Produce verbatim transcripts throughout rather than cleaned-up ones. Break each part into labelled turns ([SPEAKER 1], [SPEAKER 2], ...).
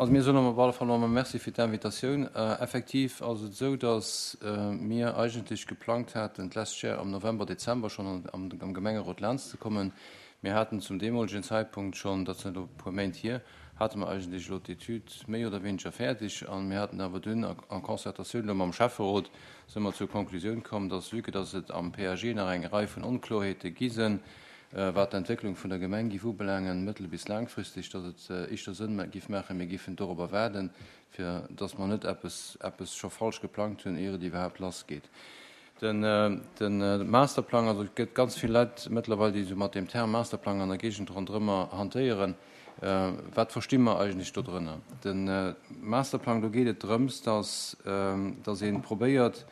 [SPEAKER 1] Also mir soen op alle Fall nochmol Merci fir d'Invitatioun. Effektiv ass et esou, dass mir eigentlech geplangt haten, d'lescht Jar am November, Dezember schonn am Gemengerot laanscht ze kommen. Mir haten zum deemolegen Zäitpunkt schonn, dat sinn elo e puer Méint hier, hate mer eigentlech elo d'Etüd méi oder wéineger fäerdeg a mir haten awer dunn en Concertatioun elo mam Schäfferot si mer zur Konklusioun komm, dass, vue que dass et am P A G nach eng Rei vun Onkloerheete gi sinn, wat d'Entwécklung vun der Gemeng giff ubelaangen, mëttel bis laangfristeg, dass et éischter Sënn giff maachen, mir giffen dorobber waarden, fir dass mer net eppes eppes scho falsch geplangt hunn, ier et iwwerhaapt lassgeet. Den de Masterplang, also et gëtt ganz vill Leit mëttlerweil, déi esou mat deem Term Masterplang an der Géigend ronderëmmer hantéieren. Wat versti mer eigentlech dodrënner? De Masterplang, do geet et drëms, dass dass ee probéiert,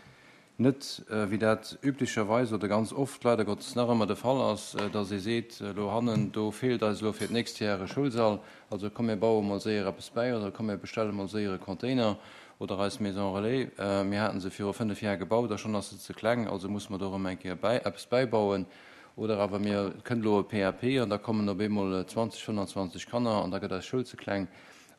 [SPEAKER 1] net wéi dat üblicherweis oder ganz oft leider Gottes nach ëmmer de Fall ass, dass ee seet, elo hannen do feelt eis elo fir d'nächst Jar e Schoulsall, also komm mir baue mol séier eppes bäi oder komm mir bestelle mol séier e Container, oder eis Maison relais, mir haten se viru fënnef Jar gebaut a schonn ass se ze kleng, also muss mer do erëm eng Kéier bäi eppes bäibauen, oder awer mir kënnt elo e P A P an da kommen op eemol zwanzeg, fënnanzwanzeg Kanner an da gëtt eis Schoul ze kleng.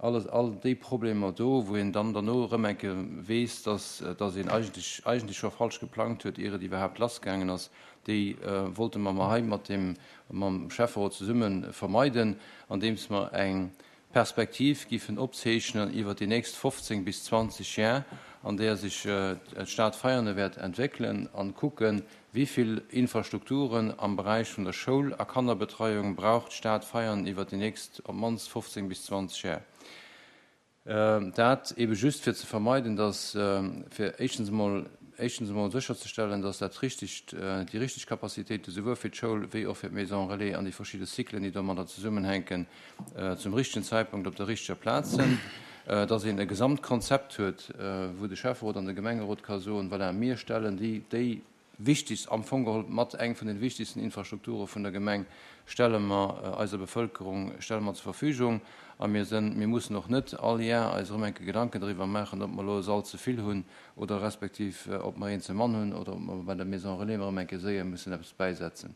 [SPEAKER 1] Alles, all déi Problemer do, wou een dann derno erëm eng Kéier weess, dass, dass een eigentlech, eigentlech scho falsch geplangt huet, ier et iwwerhaapt lassgaangen ass, déi wollte mer mer hei mat dem, mam Schäfferot zesumme vermeiden, andeems mer eng Perspektiv giffen opzeechnen iwwer déi nächst fofzéng bis zwanzeg Jar, an där sech d'Stad Veianen wäert entwéckelen, an kucken, wéi vill Infrastrukturen am Beräich vun der Schoul a Kannerbetreiung brauch d'Stad Veianen iwwer déi nächst op d'mannst fofzéng bis zwanzeg Jar. Dat ebe just fir ze vermeiden, dass, fir éischtens emol, éischtens emol sécherzestellen, dass dat richtegt, déi richteg Capacitéite souwuel fir d'Schoul wéi och fir d'Maison relais an déi verschidde Cyclen, déi domadder zesummenhänken, zum richtegen Zäitpunkt op der richteger Plaz sinn, dass een e Gesamtkonzept huet, wou de Schäfferot an de Gemengerot ka soen, voilà, mir stellen déi, déi wichtigst, am Fong geholl mat eng vun den wichtigsten Infrastrukture vun der Gemeng, stelle mer eiser Bevëlkerung, stelle mer zur Verfügung a mir sinn, mir mussen och net all Jar eis erëm eng Kéier Gedanken driwwer maachen, ob mer elo e Sall ze vill hunn oder respektiv ob mer een ze mann hunn oder ob mer bei der Maison relais erëm eng Kéier séier mussen eppes bäisetzen.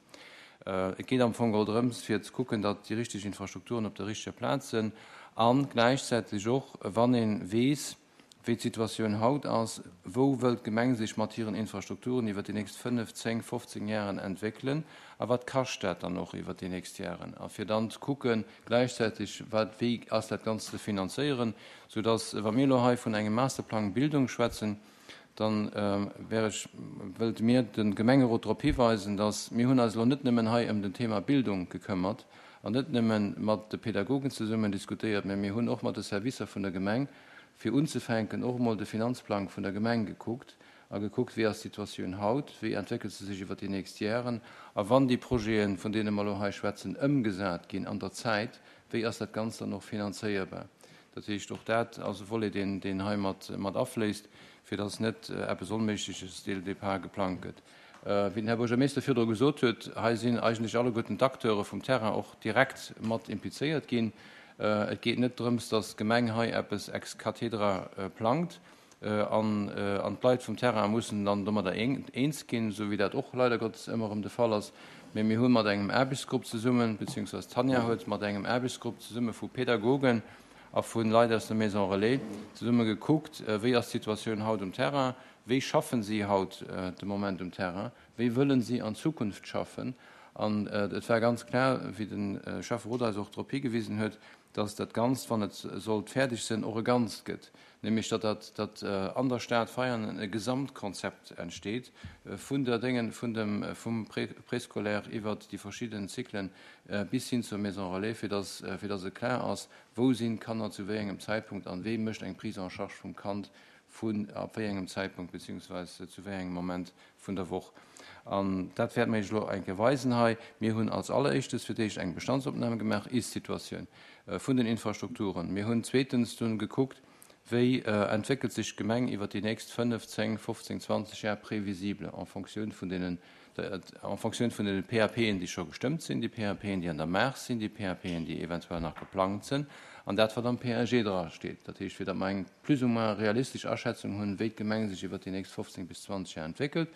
[SPEAKER 1] Et geet am Fong geholl drëms, fir ze kucken, datt déi richteg Infrastrukturen op der richteger Plaz sinn a gläichzäiteg och, wann ee weess, wéi d'Situatioun haut ass, wou wëllt d'Gemeng sech mat hiren Infrastrukturen iwwer déi nächst fënnef, zéng, fofzéng Jaren entwéckelen a wat kascht dat dann och iwwer déi nächst Jaren, a fir dann ze kucken gläichzäiteg, wat, wéi ass dat Ganzt ze finanzéieren, soudass, wa mir elo hei vun engem Masterplang Bildung schwätzen, dann wär ech, wëllte mir de Gemengerot drop hiweisen, dass mir hunn eis elo net nëmmen hei ëm den Thema Bildung gekëmmert an net nëmmen mat de Pädagogen zesummen diskutéiert, mä mir hunn och mat de Servicer vun der Gemeng fir unzefänken och emol de Finanzplang vun der Gemeng gekuckt a gekuckt, wéi ass d'Situatioun haut, wéi entwéckelt se sech iwwer déi nächst Jaren a wann déi Projeten, vun deene mer elo hei schwätzen, ëmgesat ginn an der Zäit, wéi ass dat Ganzt dann och finanzéierbar. Dat heescht, och dat ass e Volet, deen, deen hei mat, mat afléisst, fir dass net eppes Onméigleches dès le départ geplangt gëtt. Wéi den Här Buergermeeschter virdru gesot huet, hei sinn eigentlech alleguerten d'Acteure vum Terrain och direkt mat implizéiert ginn. Et geet net drëms, dass d'Gemeng hei eppes ex cathedra plangt an an d'Leit vum Terrain mussen dann domadder eens ginn, esou wéi dat och leider Gottes ëmmer erëm de Fall ass. Mee mir hu mat engem Aarbechtsgrupp zesummen, beziehungsweise d'Tanja huet mat engem Aarbechtsgrupp zesumme vu Pädagogen a vu Leit aus der Maison relais zesumme gekuckt, wéi ass d'Situatioun haut um Terrain, wéi schaffen si haut de Moment um Terrain, wéi wëllen si an Zukunft schaffen. An et war ganz klar, wéi de Schäfferot eis och drop higewisen huet, dass dat Ganzt, wann et sollt fäerdeg sinn, och e Ganzt gëtt, nämlech datt dat, datt an der Stad Veianen e Gesamtkonzept entsteet vun der Déngen, vun dem, vum Préscolaire iwwert déi verschidden Zyklen bis hin zur Maison relais, fir dass, fir dass et klar ass, wou sinn d'Kanner zu wéi engem Zäitpunkt an wee mécht eng Prise en charge vum Kand vun ab wéi engem Zäitpunkt beziehungsweise zu wéi engem Moment vun der Woch. An dat wäerte mir Iech elo eng Kéier weisen hei. Mir hunn als Alleréischtes fir d'éischt eng Bestandsopnahme gemaach, Ist-Situatioun vun den Infrastrukturen. Mir hunn zweetens dunn gekuckt, wéi entwéckelt sech d'Gemeng iwwer déi nächst fënnef, zéng, fofzéng, zwanzeg Jar prévisible en Fonctioun vun deenen, en Fonctioun vun den P A P'en, déi scho gestëmmt sinn, déi P A P'en, déi an der Maach sinn, déi P A P'en, déi eventuell nach geplangt sinn, an dat, wat am P A G dra steet. Dat heescht, fir datt mer eng plus ou moins realistesch Aschätzung hunn, wéi d'Gemeng sech iwwer déi nächst fofzéng bis zwanzeg Jar entwéckelt.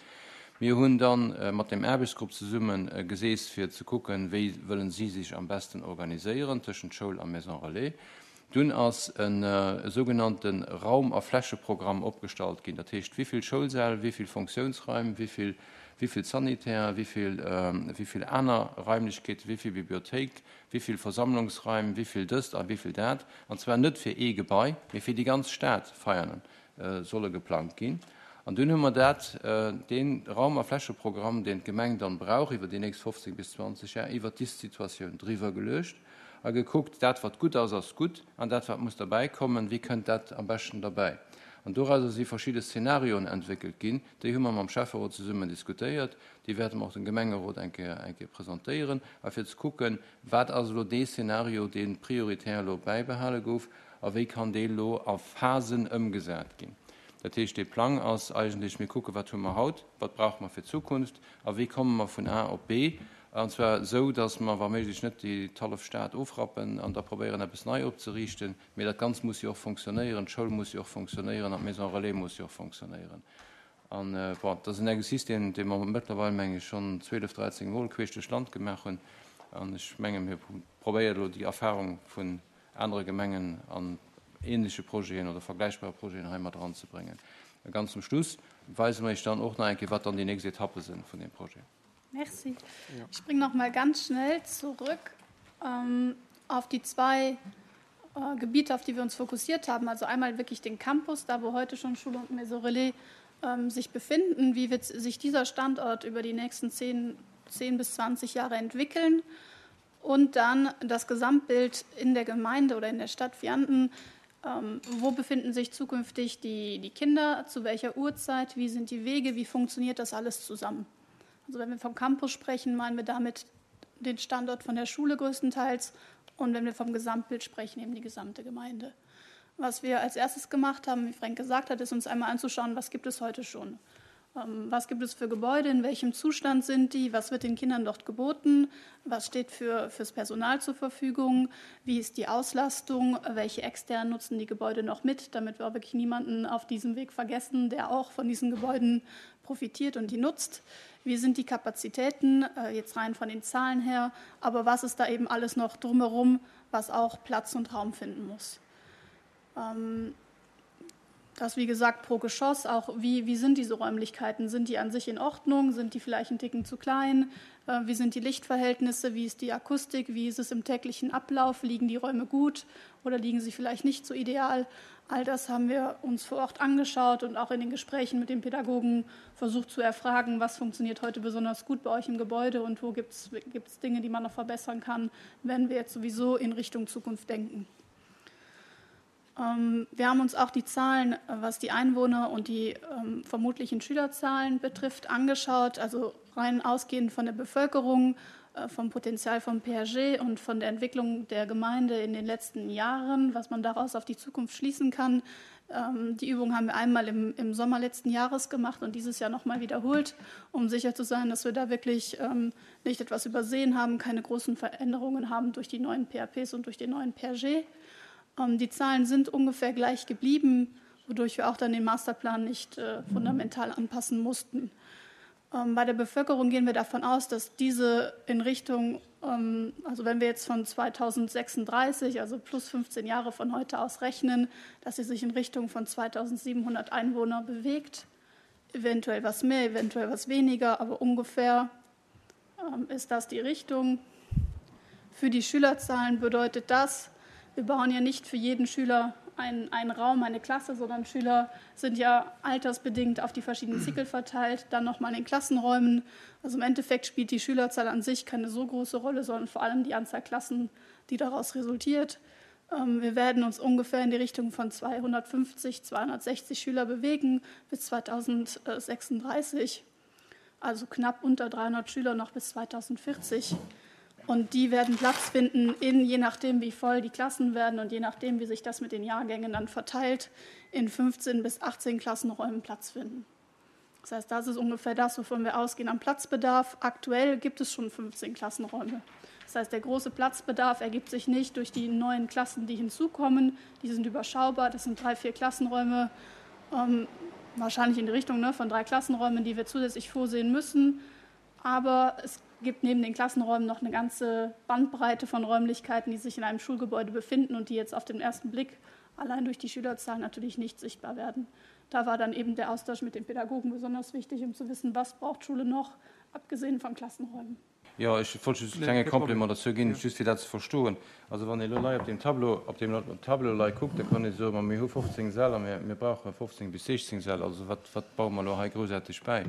[SPEAKER 1] Mir hunn dann mat dem Aarbechtsgrupp zesumme geseess, fir ze kucken, wéi wëllen si sech am besten organiséieren tëschent Schoul a Maison relais. Dunn ass e sougenannte Raum a Flächeprogramm opgestallt ginn, dat heescht, wéi vill Schoulsäll, wéi vill Fonctiounsraim, wéi vill, wéi vill Sanitär, wéi vill, wéi vill aner Raimlechkeeten, wéi vill Bibliothéik, wéi vill Versammlungsraim, wéi vill dëst a wéi vill dat, an zwar net fir ee Gebai, mee fir déi ganz Stad Veianen solle geplangt ginn. An dunn hu mer dat, dee Raum a Flächeprogramm, deen d'Gemeng dann brauch iwwer déi nächst fofzéng bis zwanzeg Jar, iwwert d'Ist-Situatioun driwwer geluecht a gekuckt, dat wat gutt ass, ass gutt, an dat wat muss derbäikommen, wéi kënnt dat am beschten derbäi. An dorauser si verschidde Szenarioen entwéckelt ginn, déi hu mer mam Schäfferot zesummen diskutéiert, déi wäerte mer och dem Gemengerot eng Kéier, eng Kéier presentéieren, a fir ze kucken, wat ass elo dee Szenario, dee prioritär elo bäibehale gouf, a wéi kann dee elo a Phasen ëmgesat ginn. Dat heescht, dee Plang ass eigentlech, mir kucken, wat hu mer haut, wat brauche mer fir d'Zukunft a wéi komme mer vun A op B, an zwar esou, datt mer wa méiglech net déi d'hallef Stad ofrappen an da probéieren, eppes nei opzeriichten, mee dat Ganzt muss jo och fonctionnéieren, d'Schoul muss jo och fonctionnéieren an d'Maison relais muss jo och fonctionnéieren. An, bon, dat ass en Exercice, deen, dee mer mëttlerweil, meng ech, schonn zwielef, dräizéng Mol queesch duerch d'Land gemaach hunn. An ech menge mir probéieren elo déi Erfahrung vun anere Gemengen an ähnleche Projeten oder vergläichbare Projeten hei mat eranzebréngen. A ganz zum Schluss weise mer Iech dann och nach eng Kéier, wat dann déi nächst Etappe sinn vun deem Projet.
[SPEAKER 2] Merci. Ich springe noch mal ganz schnell zurück ähm, auf die zwei äh, Gebiete, auf die wir uns fokussiert haben. Also einmal wirklich den Campus, da wo heute schon Schule und Maison Relais ähm, sich befinden. Wie wird sich dieser Standort über die nächsten zehn, zehn bis zwanzig Jahre entwickeln? Und dann das Gesamtbild in der Gemeinde oder in der Stadt Vianden. Ähm, wo befinden sich zukünftig die, die Kinder, zu welcher Uhrzeit, wie sind die Wege, wie funktioniert das alles zusammen? Also wenn wir vom Campus sprechen, meinen wir damit den Standort von der Schule größtenteils und wenn wir vom Gesamtbild sprechen, eben die gesamte Gemeinde. Was wir als erstes gemacht haben, wie Frank gesagt hat, ist uns einmal anzuschauen, was gibt es heute schon? Ähm, was gibt es für Gebäude, in welchem Zustand sind die, was wird den Kindern dort geboten, was steht für, fürs Personal zur Verfügung, wie ist die Auslastung, welche externen nutzen die Gebäude noch mit, damit wir auch wirklich niemanden auf diesem Weg vergessen, der auch von diesen Gebäuden profitiert und die nutzt. Wie sind die Kapazitäten, äh, jetzt rein von den Zahlen her, aber was ist da eben alles noch drumherum, was auch Platz und Raum finden muss. Ähm, das, wie gesagt, pro Geschoss, auch wie, wie sind diese Räumlichkeiten? Sind die an sich in Ordnung? Sind die vielleicht einen Ticken zu klein? Äh, wie sind die Lichtverhältnisse? Wie ist die Akustik? Wie ist es im täglichen Ablauf? Liegen die Räume gut oder liegen sie vielleicht nicht so ideal? All das haben wir uns vor Ort angeschaut und auch in den Gesprächen mit den Pädagogen versucht zu erfragen, was funktioniert heute besonders gut bei euch im Gebäude und wo gibt's, gibt's Dinge, die man noch verbessern kann, wenn wir jetzt sowieso in Richtung Zukunft denken. Ähm, wir haben uns auch die Zahlen, was die Einwohner und die, ähm, vermutlichen Schülerzahlen betrifft, angeschaut. Also rein ausgehend von der Bevölkerung, äh, vom Potenzial vom P A G und von der Entwicklung der Gemeinde in den letzten Jahren, was man daraus auf die Zukunft schließen kann. Ähm, die Übung haben wir einmal im, im Sommer letzten Jahres gemacht und dieses Jahr nochmal wiederholt, um sicher zu sein, dass wir da wirklich, ähm, nicht etwas übersehen haben, keine großen Veränderungen haben durch die neuen P A Ps und durch den neuen P A G. Ähm, die Zahlen sind ungefähr gleich geblieben, wodurch wir auch dann den Masterplan nicht, äh, fundamental anpassen mussten. Ähm, bei der Bevölkerung gehen wir davon aus, dass diese in Richtung, ähm, also wenn wir jetzt von zweitausendsechsunddreißig, also plus fünfzehn Jahre von heute aus rechnen, dass sie sich in Richtung von zweitausendsiebenhundert Einwohner bewegt. Eventuell was mehr, eventuell was weniger, aber ungefähr, ähm, ist das die Richtung. Für die Schülerzahlen bedeutet das, wir bauen ja nicht für jeden Schüler einen, einen Raum, eine Klasse, sondern Schüler sind ja altersbedingt auf die verschiedenen Zyklen verteilt, dann nochmal in den Klassenräumen. Also im Endeffekt spielt die Schülerzahl an sich keine so große Rolle, sondern vor allem die Anzahl Klassen, die daraus resultiert. Ähm, wir werden uns ungefähr in die Richtung von zweihundertfünfzig, zweihundertsechzig Schüler bewegen bis zweitausendsechsunddreißig, also knapp unter dreihundert Schüler noch bis zweitausendvierzig. Und die werden Platz finden, in, je nachdem, wie voll die Klassen werden und je nachdem, wie sich das mit den Jahrgängen dann verteilt, in fünfzehn bis achtzehn Klassenräumen Platz finden. Das heißt, das ist ungefähr das, wovon wir ausgehen am Platzbedarf. Aktuell gibt es schon fünfzehn Klassenräume. Das heißt, der große Platzbedarf ergibt sich nicht durch die neuen Klassen, die hinzukommen. Die sind überschaubar. Das sind drei, vier Klassenräume, ähm, wahrscheinlich in die Richtung, ne, von drei Klassenräumen, die wir zusätzlich vorsehen müssen. Aber es gibt neben den Klassenräumen noch eine ganze Bandbreite von Räumlichkeiten, die sich in einem Schulgebäude befinden und die jetzt auf den ersten Blick allein durch die Schülerzahlen natürlich nicht sichtbar werden. Da war dann eben der Austausch mit den Pädagogen besonders wichtig, um zu wissen, was braucht Schule noch, abgesehen von Klassenräumen.
[SPEAKER 1] Jo, ech wollt just e klenge Complément dozou ginn, just fir dat ze verstoen. Also wann ee lo lei op deem Tableau, op deem Tableau lei kuckt, da kann ee soen, ma mir hu fofzéng Säll a mir, mir brauche fofzéng bis sechzéng Säll. Also wat, wat baue mer elo hei groussaarteg bäi?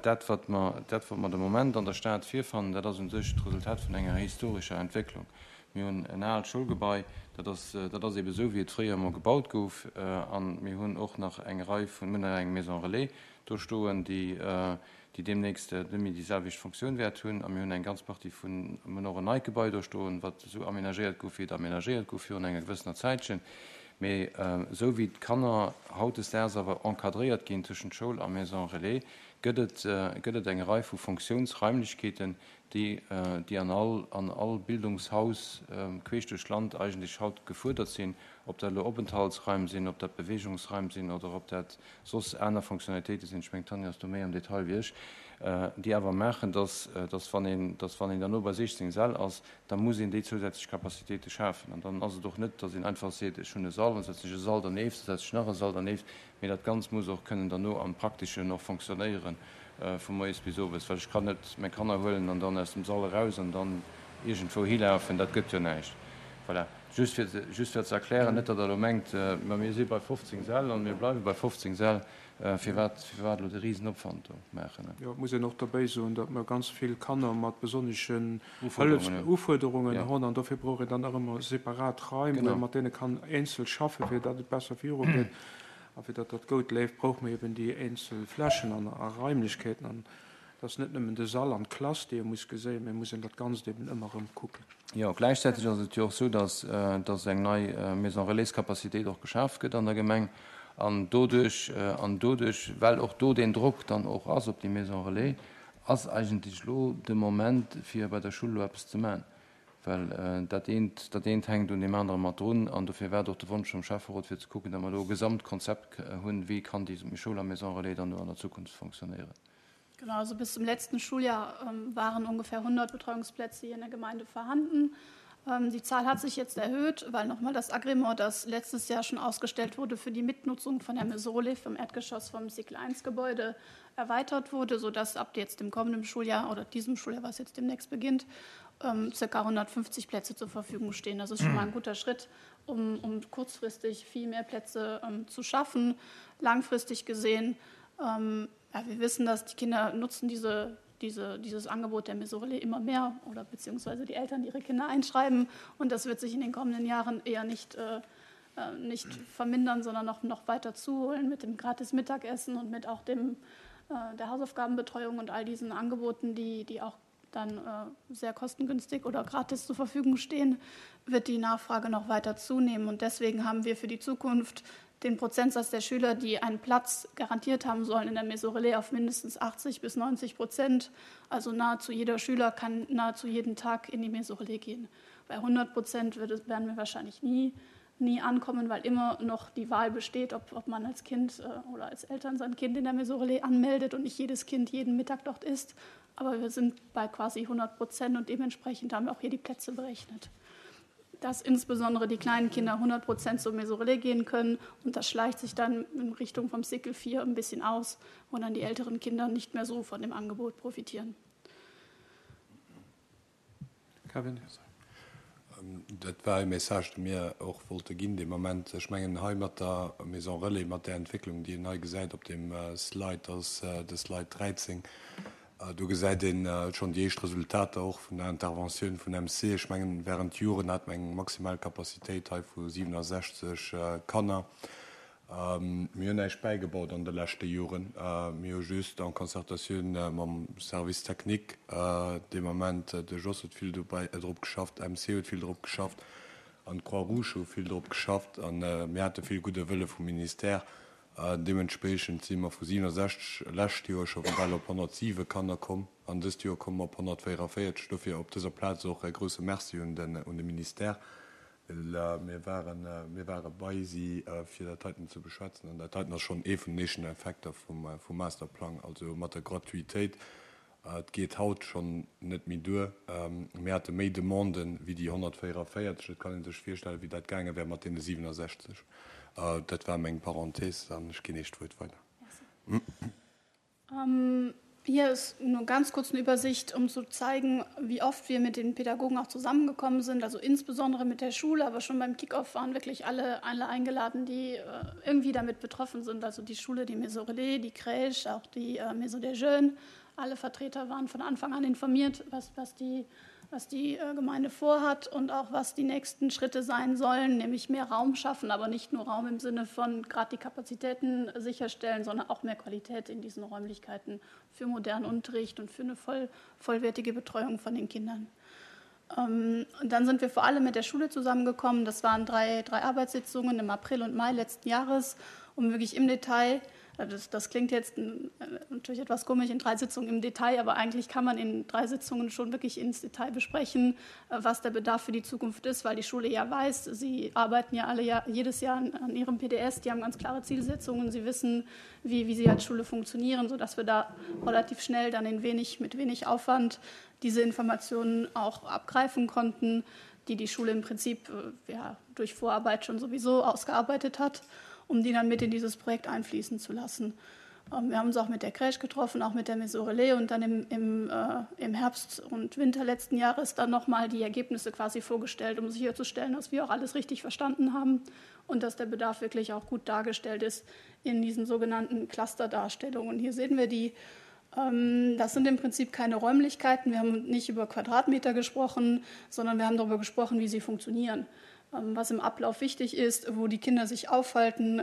[SPEAKER 1] Dat, wat mer, dat, wat mer de Moment an der Stad virfannen, dat ass u sech d'Resultat vun enger historescher Entwécklung. Mir hunn en aalt Schoulgebai, dat ass, dat ass eebe sou, wéi et fréier emol gebaut gouf. A mir hunn och nach eng Rei vun, mir hunn nach eng Maison relais do stoen, déi, déi deemnächst net méi déi selwecht Fonctioun wäert hunn. A mir hunn eng ganz Partie vun, mir hunn och en neit Gebai do stoen, wat esou aménagéiert gouf, wéi et aménagéiert gouf virun enger gewëssener Zäitchen. Mee esou wéi d'Kanner hautdesdaags awer encadréiert ginn tëschent Schoul a Maison relais, gëtt et, gëtt et eng Rei vu Fonctiounsraimlechkeeten, déi, déi an all, an all Bildungshaus queesch duerch d'Land eigentlech haut gefuerdert sinn, ob dat elo Openthaltsraim sinn, ob dat Beweegungsraim sinn oder ob dat soss aner Fonctionnalitéite sinn, ech mengen, d'Tanja ass do méi am Detail wéi ech, déi awer maachen, dass, dass wann een, dass wann een derno bei siechzéng Säll ass, da muss een déi zousätzlech Capacitéite schafen. An dann ass et och net, dass een einfach seet, ech hunn e Sall, dann setzen ech e Sall dernieft, da setzen ech nach e Sall dernieft, mee dat Ganzt muss och kënnen derno am Prakteschen och fonctionnéieren vu moies bis owes, well ech kann net meng Kanner huelen an dann aus dem Sall eraus an dann iergendwou hilafen, dat gëtt jo näischt. Voilà, just fir, just fir ze erklären, net datt Der elo mengt, ma mir si bei fofzéng Säll an mir bleiwe bei fofzéng Säll, firwat, firwat elo de Risenopwand do maachen.
[SPEAKER 3] Jo, et muss een och derbäi soen, datt mer ganz vill Kanner mat besonneschen Hëllefsufuerderungen hunn an dofir brauch een dann nach ëmmer separat Raim, wou ee mat deene kann eenzel schaffen, fir datt et besser virugeet. A fir datt dat goud leeft, brauche mer eben déi eenzel Flächen an a Raimlechkeeten. An et ass net nëmmen de Sall an d'Klass, déi ee muss geséien, mä et muss een dat Ganzt eben ëmmer erëm kucken.
[SPEAKER 1] Jo, gläichzäiteg ass et jo och esou, dass, dass eng nei Maison relais-Capacitéit och geschaf gëtt an der Gemeng. An doduerch, an doduerch, well och do deen Drock dann och ass op déi Maison relais, ass eigentlech elo de Moment, fir bei der Schull elo eppes ze maachen. Well dat eent, dat eent hänkt un deem anere mat drun. An dofir war et och de Wonsch vum Schäfferot, fir ze kucken, datt mer do e Gesamtkonzept hunn, wéi kann déi Schoul a Maison relais dann do an der Zukunft fonctionnéieren.
[SPEAKER 2] Genau, also bis zum letzten Schuljahr waren ungefähr hundert Betreuungsplätze hier in der Gemeinde vorhanden. Die Zahl hat sich jetzt erhöht, weil nochmal das Agrément, das letztes Jahr schon ausgestellt wurde für die Mitnutzung von der Maison relais vom Erdgeschoss vom Cycle eins Gebäude, erweitert wurde, sodass ab jetzt dem kommenden Schuljahr oder diesem Schuljahr, was jetzt demnächst beginnt, circa hundertfünfzig Plätze zur Verfügung stehen. Das ist schon mal ein guter Schritt, um, um kurzfristig viel mehr Plätze, ähm, zu schaffen. Langfristig gesehen, ähm, ja, wir wissen, dass die Kinder nutzen diese, diese, dieses Angebot der Maison relais immer mehr oder beziehungsweise die Eltern, die ihre Kinder einschreiben. Und das wird sich in den kommenden Jahren eher nicht, äh, äh, nicht vermindern, sondern noch, noch weiter zuholen mit dem gratis Mittagessen und mit auch dem, äh, der Hausaufgabenbetreuung und all diesen Angeboten, die, die auch dann, äh, sehr kostengünstig oder gratis zur Verfügung stehen, wird die Nachfrage noch weiter zunehmen. Und deswegen haben wir für die Zukunft den Prozentsatz der Schüler, die einen Platz garantiert haben sollen in der Maison Relais auf mindestens achtzig bis neunzig Prozent. Also nahezu jeder Schüler kann nahezu jeden Tag in die Maison Relais gehen. Bei hundert Prozent wird es, werden wir wahrscheinlich nie, nie ankommen, weil immer noch die Wahl besteht, ob, ob man als Kind, äh, oder als Eltern sein Kind in der Maison Relais anmeldet und nicht jedes Kind jeden Mittag dort ist. Aber wir sind bei quasi hundert Prozent und dementsprechend haben wir auch hier die Plätze berechnet. Dass insbesondere die kleinen Kinder hundert Prozent zur Maison Relais gehen können und das schleicht sich dann in Richtung vom Cycle vier ein bisschen aus, wo dann die älteren Kinder nicht mehr so von dem Angebot profitieren.
[SPEAKER 3] Kevin?
[SPEAKER 4] Dat war e Message, dee mir och wollte ginn, dee Moment. Ech mengen, hei mat der Maison Relais, mat der Entwécklung, déi een hei gesäit op dem Slide, dat ass de Slide dräizéng, do gesäit een schonn déi éischt Resultater och vun der Interventioun vun M C. Ech mengen, während Joren hat mer eng maximal Capacitéit hei vu siewenundsechzeg Kanner. Mir hunn näischt bäigebaut an de leschte Joren. Mir hu just en Concertatioun mam Service technique dee Moment, de Jos huet vill dobäi drop geschafft, M C huet vill drop geschafft an d'Croix-Rouge hu vill drop geschafft an mir hate vill gudde Wëlle vum Ministère. Deementspreechend si mer vu siewenundsechzeg lescht Joer scho bal op honnertsiwe Kanner komm an dëst Joer komme mer op honnertvéierundvéierzeg. Dofir op dëser Plaz och e grousse Merci un den, un de Ministère. Well mir waren, mir ware bei si, fir dat heiten ze beschwätzen. An dat heiten ass schonn ee vun den éischten Effekter vum, vum Masterplang, also mat der Gratuitéit Et geet haut schonn net méi duer. Mir hate méi Demanden wéi déi honnertvéierunvéierzeg. Et kann ee sech virstellen, wéi dat gaange wär mat deene siwenesechzeg. Dat war meng Parenthèse an ech ginn Iech d'Wuert weider.
[SPEAKER 2] Merci. Hier ist nur ganz kurz eine Übersicht, um zu zeigen, wie oft wir mit den Pädagogen auch zusammengekommen sind, also insbesondere mit der Schule, aber schon beim Kickoff waren wirklich alle, alle eingeladen, die irgendwie damit betroffen sind, also die Schule, die Maison Relais, die Crèche, auch die Maison des Jeunes. Alle Vertreter waren von Anfang an informiert, was, was die, was die Gemeinde vorhat und auch was die nächsten Schritte sein sollen, nämlich mehr Raum schaffen, aber nicht nur Raum im Sinne von gerade die Kapazitäten sicherstellen, sondern auch mehr Qualität in diesen Räumlichkeiten für modernen Unterricht und für eine voll, vollwertige Betreuung von den Kindern. Und dann sind wir vor allem mit der Schule zusammengekommen. Das waren drei, drei Arbeitssitzungen im April und Mai letzten Jahres, um wirklich im Detail, das, das klingt jetzt natürlich etwas komisch in drei Sitzungen im Detail, aber eigentlich kann man in drei Sitzungen schon wirklich ins Detail besprechen, was der Bedarf für die Zukunft ist, weil die Schule ja weiß, sie arbeiten ja alle Jahr, jedes Jahr an, an ihrem P D S, die haben ganz klare Zielsetzungen, sie wissen, wie, wie sie als Schule funktionieren, sodass wir da relativ schnell dann in wenig, mit wenig Aufwand diese Informationen auch abgreifen konnten, die die Schule im Prinzip, ja, durch Vorarbeit schon sowieso ausgearbeitet hat, um die dann mit in dieses Projekt einfließen zu lassen. Wir haben uns auch mit der Crèche getroffen, auch mit der Maison Relais und dann im, im, äh, im Herbst und Winter letzten Jahres dann nochmal die Ergebnisse quasi vorgestellt, um sicherzustellen, dass wir auch alles richtig verstanden haben und dass der Bedarf wirklich auch gut dargestellt ist in diesen sogenannten Clusterdarstellungen. Hier sehen wir die, ähm, das sind im Prinzip keine Räumlichkeiten, wir haben nicht über Quadratmeter gesprochen, sondern wir haben darüber gesprochen, wie sie funktionieren. Was im Ablauf wichtig ist, wo die Kinder sich aufhalten,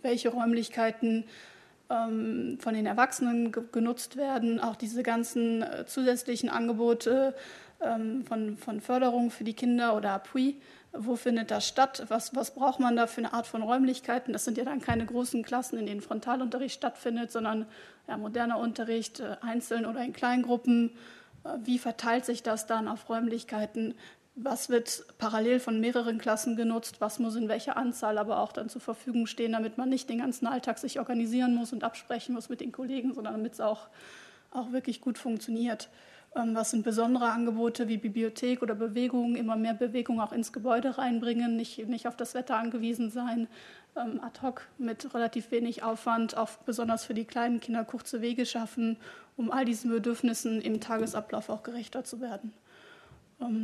[SPEAKER 2] welche Räumlichkeiten von den Erwachsenen genutzt werden, auch diese ganzen zusätzlichen Angebote von, von Förderung für die Kinder oder Appui. Wo findet das statt? Was, was braucht man da für eine Art von Räumlichkeiten? Das sind ja dann keine großen Klassen, in denen Frontalunterricht stattfindet, sondern ja, moderner Unterricht, einzeln oder in Kleingruppen. Wie verteilt sich das dann auf Räumlichkeiten? Was wird parallel von mehreren Klassen genutzt? Was muss in welcher Anzahl aber auch dann zur Verfügung stehen, damit man nicht den ganzen Alltag sich organisieren muss und absprechen muss mit den Kollegen, sondern damit es auch, auch wirklich gut funktioniert. Was sind besondere Angebote wie Bibliothek oder Bewegung, immer mehr Bewegung auch ins Gebäude reinbringen, nicht, nicht auf das Wetter angewiesen sein, ad hoc mit relativ wenig Aufwand, auch besonders für die kleinen Kinder kurze Wege schaffen, um all diesen Bedürfnissen im Tagesablauf auch gerechter zu werden.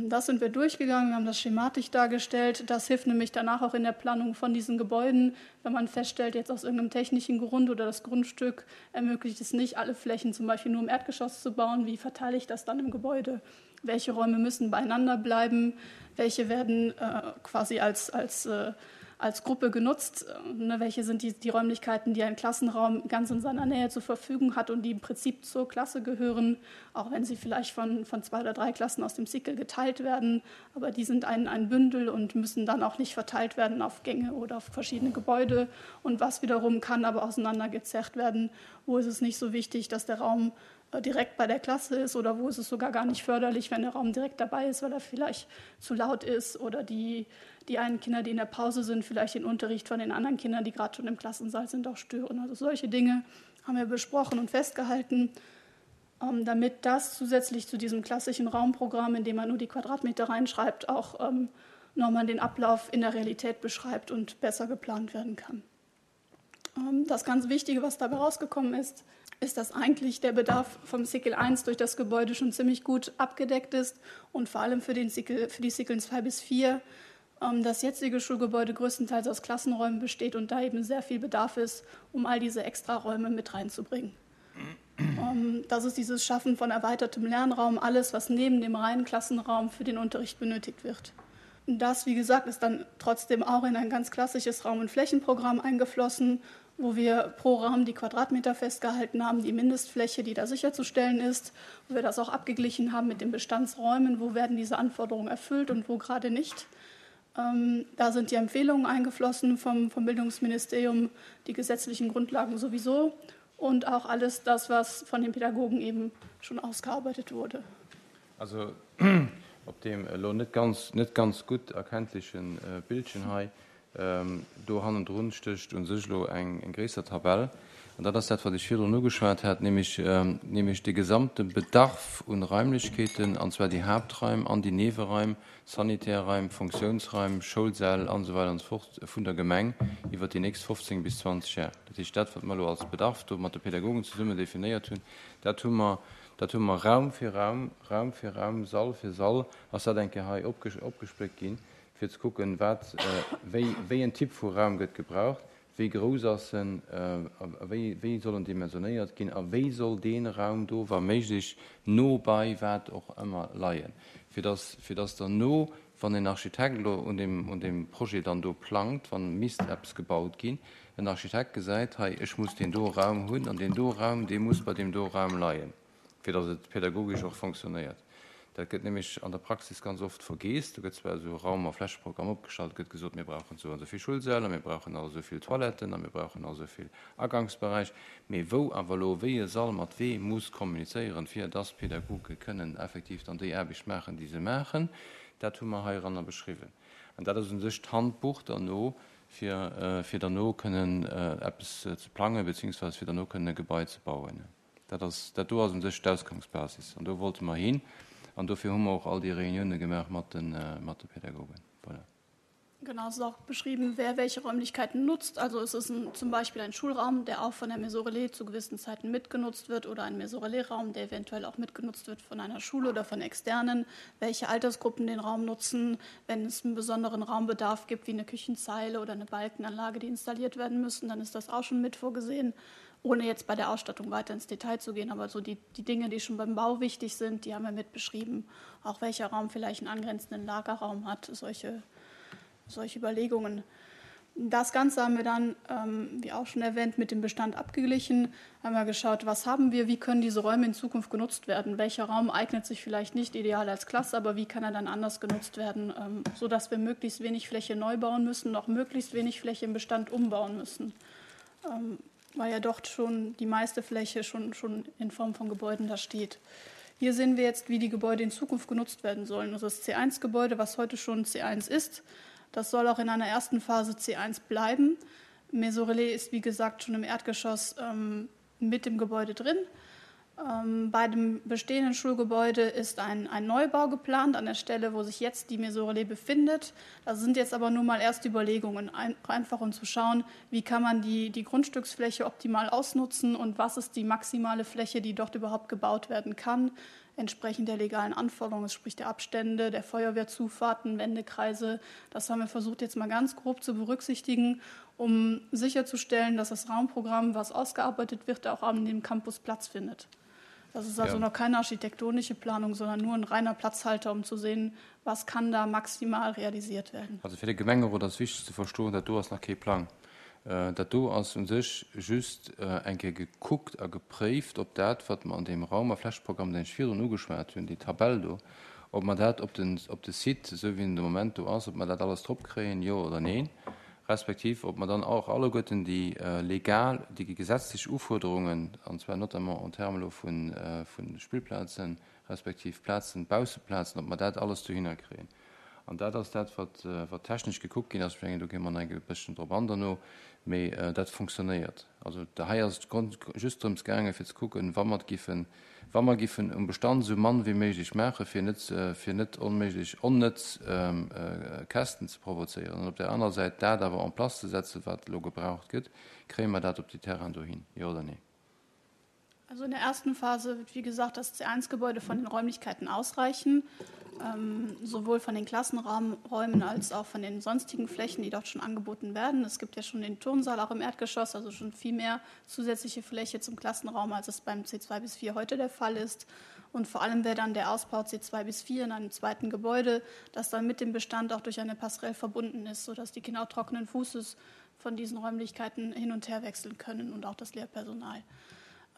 [SPEAKER 2] Das sind wir durchgegangen, wir haben das schematisch dargestellt. Das hilft nämlich danach auch in der Planung von diesen Gebäuden, wenn man feststellt, jetzt aus irgendeinem technischen Grund oder das Grundstück ermöglicht es nicht, alle Flächen zum Beispiel nur im Erdgeschoss zu bauen. Wie verteile ich das dann im Gebäude? Welche Räume müssen beieinander bleiben? Welche werden äh, quasi als, als, äh, als Gruppe genutzt? Ne, welche sind die, die Räumlichkeiten, die ein Klassenraum ganz in seiner Nähe zur Verfügung hat und die im Prinzip zur Klasse gehören, auch wenn sie vielleicht von, von zwei oder drei Klassen aus dem Cycle geteilt werden. Aber die sind ein, ein Bündel und müssen dann auch nicht verteilt werden auf Gänge oder auf verschiedene Gebäude. Und was wiederum kann aber auseinandergezerrt werden, wo ist es nicht so wichtig, dass der Raum direkt bei der Klasse ist oder wo ist es sogar gar nicht förderlich, wenn der Raum direkt dabei ist, weil er vielleicht zu laut ist oder die, die einen Kinder, die in der Pause sind, vielleicht den Unterricht von den anderen Kindern, die gerade schon im Klassensaal sind, auch stören. Also solche Dinge haben wir besprochen und festgehalten, damit das zusätzlich zu diesem klassischen Raumprogramm, in dem man nur die Quadratmeter reinschreibt, auch nochmal den Ablauf in der Realität beschreibt und besser geplant werden kann. Das ganz Wichtige, was dabei rausgekommen ist, ist, dass eigentlich der Bedarf vom Cycle eins durch das Gebäude schon ziemlich gut abgedeckt ist und vor allem für, den Cycle, für die Cyclen zwei bis vier, ähm, das jetzige Schulgebäude größtenteils aus Klassenräumen besteht und da eben sehr viel Bedarf ist, um all diese Extraräume mit reinzubringen. Ähm, das ist dieses Schaffen von erweitertem Lernraum, alles, was neben dem reinen Klassenraum für den Unterricht benötigt wird. Das, wie gesagt, ist dann trotzdem auch in ein ganz klassisches Raum- und Flächenprogramm eingeflossen, wo wir pro Raum die Quadratmeter festgehalten haben, die Mindestfläche, die da sicherzustellen ist, wo wir das auch abgeglichen haben mit den Bestandsräumen, wo werden diese Anforderungen erfüllt und wo gerade nicht. Ähm, da sind die Empfehlungen eingeflossen vom, vom Bildungsministerium, die gesetzlichen Grundlagen sowieso und auch alles das, was von den Pädagogen eben schon ausgearbeitet wurde.
[SPEAKER 1] Also op dem elo net ganz, net ganz gutt erkenntlechen Bildchen hei Do hannendrun stécht u sech elo eng gréisser Tabell, an dat ass dat, wat ech virdrun ugeschwat hat, nämlech, nämlech de gesamte Bedarf un Raimlechkeeten, an zwar déi Haaptraim an déi Nieweraim, Sanitärraim, Funktionsraim, Schoulsäll an esou weider an esou fort vun der Gemeng iwwert déi nächst fofzéng bis zwanzeg Jar. Dat heescht, dat, wat mer elo als Bedarf do mat de Pädagogen zesummen definéiert hunn, dat hu mer, dat hu mer Raum fir Raum, Raum fir Raum, Sall fir Sall ass dat eng Kéier hei opgespléckt ginn, fir ze kucken, wat, wéi, wéi en Typ vu Raum gëtt gebraucht, wéi grouss ass en, a wéi, wéi soll en dimensionéiert ginn a wéi soll dee Raum do wa méiglech no bei wat och ëmmer leien, fir dass, fir dass derno, wann en Architekt elo un deem, un deem Projet dann do plangt, wann misst eppes gebaut ginn, en Architekt gesäit, hei, ech muss deen do Raum hunn an deen do Raum, dee muss bei deem do Raum leien, fir dass et pädagogesch och fonctionnéiert. Dat gëtt nämlech an der Praxis ganz oft vergeess. Do gëtt zwar esou e Raum a Flächeprogramm opgestallt, gëtt gesot, mir brauchen esou an esou vill Schulsäll a mir brauchen nach esou vill Toiletten a mir brauchen nach esou vill Agangsberäich, mee wou awer elo wéi e Sall mat wee muss kommunizéieren, fir dass d'Pädagoge kënnen effektiv dann déi Aarbecht maachen, déi se maachen, dat hu mer heiranner beschriwwen. An dat ass u sech d'Handbuch derno, fir, fir derno kënnen eppes ze plangen, beziehungsweise fir derno kënnen e Gebai ze bauen. Dat ass, dat do ass u sech d'Ausgangsbasis an do wollte mer hin. An dofir hu mer och all déi Reunioune gemaach mat de, mat de Pädagogen. Voilà.
[SPEAKER 2] Genau, es ist auch beschrieben, wer welche Räumlichkeiten nutzt. Also es ist ein, zum Beispiel ein Schulraum, der auch von der Maison Relais zu gewissen Zeiten mitgenutzt wird oder ein Maison Relais-Raum, der eventuell auch mitgenutzt wird von einer Schule oder von Externen, welche Altersgruppen den Raum nutzen, wenn es einen besonderen Raumbedarf gibt, wie eine Küchenzeile oder eine Balkenanlage, die installiert werden müssen, dann ist das auch schon mit vorgesehen, ohne jetzt bei der Ausstattung weiter ins Detail zu gehen. Aber so die, die Dinge, die schon beim Bau wichtig sind, die haben wir mit beschrieben. Auch welcher Raum vielleicht einen angrenzenden Lagerraum hat, solche, solche Überlegungen. Das Ganze haben wir dann, ähm, wie auch schon erwähnt, mit dem Bestand abgeglichen. Haben wir geschaut, was haben wir, wie können diese Räume in Zukunft genutzt werden? Welcher Raum eignet sich vielleicht nicht ideal als Klasse, aber wie kann er dann anders genutzt werden, ähm, sodass wir möglichst wenig Fläche neu bauen müssen, noch möglichst wenig Fläche im Bestand umbauen müssen. Ähm, weil ja dort schon die meiste Fläche schon, schon in Form von Gebäuden da steht. Hier sehen wir jetzt, wie die Gebäude in Zukunft genutzt werden sollen. Also das C eins Gebäude, was heute schon C eins ist, das soll auch in einer ersten Phase C eins bleiben. Maison Relais ist, wie gesagt, schon im Erdgeschoss, ähm, mit dem Gebäude drin. Ähm, bei dem bestehenden Schulgebäude ist ein, ein Neubau geplant, an der Stelle, wo sich jetzt die Maison Relais befindet. Das sind jetzt aber nur mal erste Überlegungen, ein-, einfach um zu schauen, wie kann man die, die Grundstücksfläche optimal ausnutzen und was ist die maximale Fläche, die dort überhaupt gebaut werden kann, entsprechend der legalen Anforderungen, sprich der Abstände, der Feuerwehrzufahrten, Wendekreise. Das haben wir versucht jetzt mal ganz grob zu berücksichtigen, um sicherzustellen, dass das Raumprogramm, was ausgearbeitet wird, auch an dem Campus Platz findet. Das ist also
[SPEAKER 1] Ja.
[SPEAKER 2] noch keine architektonische Planung, sondern nur ein reiner Platzhalter, um zu sehen, was kann da maximal realisiert werden.
[SPEAKER 1] Also fir de Gemengerot ass wichteg ze verstoen, dat do ass nach kee Plang. Äh, dat do ass un sech just, äh, eng Kéier gekuckt a gepréift, ob dat, wat mer an dem Raum- a Flächeprogramm, den ech virdrun ugeschwat hunn, déi Tabell do, ob mer dat op den, op de Site, esou wéi en de Moment do ass, ob mer dat alles drop kréien, jo oder neen, respektiv ob mer dann och alleguerten déi, äh, legal, déi gesetzlech Ufuerderungen, an zwar notamment en termes elo vun, äh, vun Spillplazen, respektiv Plazen, Bausseplazen, ob mer dat alles dohinner kréien. An dat ass dat, wat, äh, wat technesch gekuckt ginn ass, ich mengen, do gi mer nach e bësschen drop an derno, mee, äh, dat funktionéiert. Also da hei ass et grond-, just drëms gaangen, fir ze kucken, wa mer giffen, wa mer giffen um Bestand sou mann wéi méiglech maachen, fir net, äh, fir net onméiglech onnëtz, ähm, äh, Käschten ze provozéieren. An op der anerer Säit dat awer en place ze setzen, wat elo gebraucht gëtt, kréie mer dat op die Terrain dohin, jo oder nee?
[SPEAKER 2] Also in der ersten Phase wird, wie gesagt, das C eins Gebäude von den Räumlichkeiten ausreichen, ähm, sowohl von den Klassenräumen als auch von den sonstigen Flächen, die dort schon angeboten werden. Es gibt ja schon den Turnsaal auch im Erdgeschoss, also schon viel mehr zusätzliche Fläche zum Klassenraum, als es beim C zwei bis vier heute der Fall ist. Und vor allem wäre dann der Ausbau C zwei bis vier in einem zweiten Gebäude, das dann mit dem Bestand auch durch eine Passerelle verbunden ist, sodass die Kinder auch trockenen Fußes von diesen Räumlichkeiten hin und her wechseln können und auch das Lehrpersonal.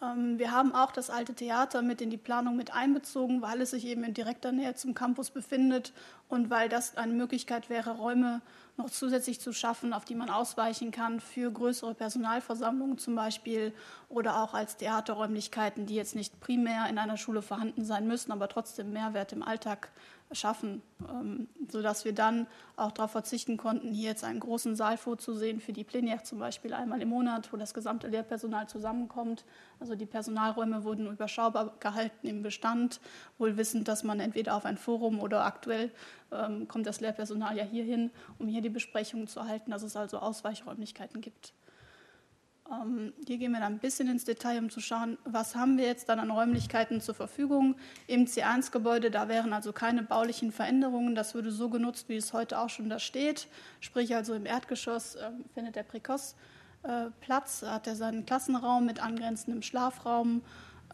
[SPEAKER 2] Ähm, wir haben auch das alte Theater mit in die Planung mit einbezogen, weil es sich eben in direkter Nähe zum Campus befindet und weil das eine Möglichkeit wäre, Räume noch zusätzlich zu schaffen, auf die man ausweichen kann für größere Personalversammlungen zum Beispiel oder auch als Theaterräumlichkeiten, die jetzt nicht primär in einer Schule vorhanden sein müssen, aber trotzdem Mehrwert im Alltag schaffen, ähm, sodass wir dann auch darauf verzichten konnten, hier jetzt einen großen Saal vorzusehen für die Plénière zum Beispiel einmal im Monat, wo das gesamte Lehrpersonal zusammenkommt. Also die Personalräume wurden überschaubar gehalten im Bestand, wohl wissend, dass man entweder auf ein Forum oder aktuell ähm, kommt das Lehrpersonal ja hierhin, um hier die Besprechungen zu halten, dass es also Ausweichräumlichkeiten gibt. Ähm, hier gehen wir dann ein bisschen ins Detail, um zu schauen, was haben wir jetzt dann an Räumlichkeiten zur Verfügung im C eins Gebäude. Da wären also keine baulichen Veränderungen. Das würde so genutzt, wie es heute auch schon da steht. Sprich also im Erdgeschoss, äh, findet der Précoce, äh, Platz, hat er seinen Klassenraum mit angrenzendem Schlafraum.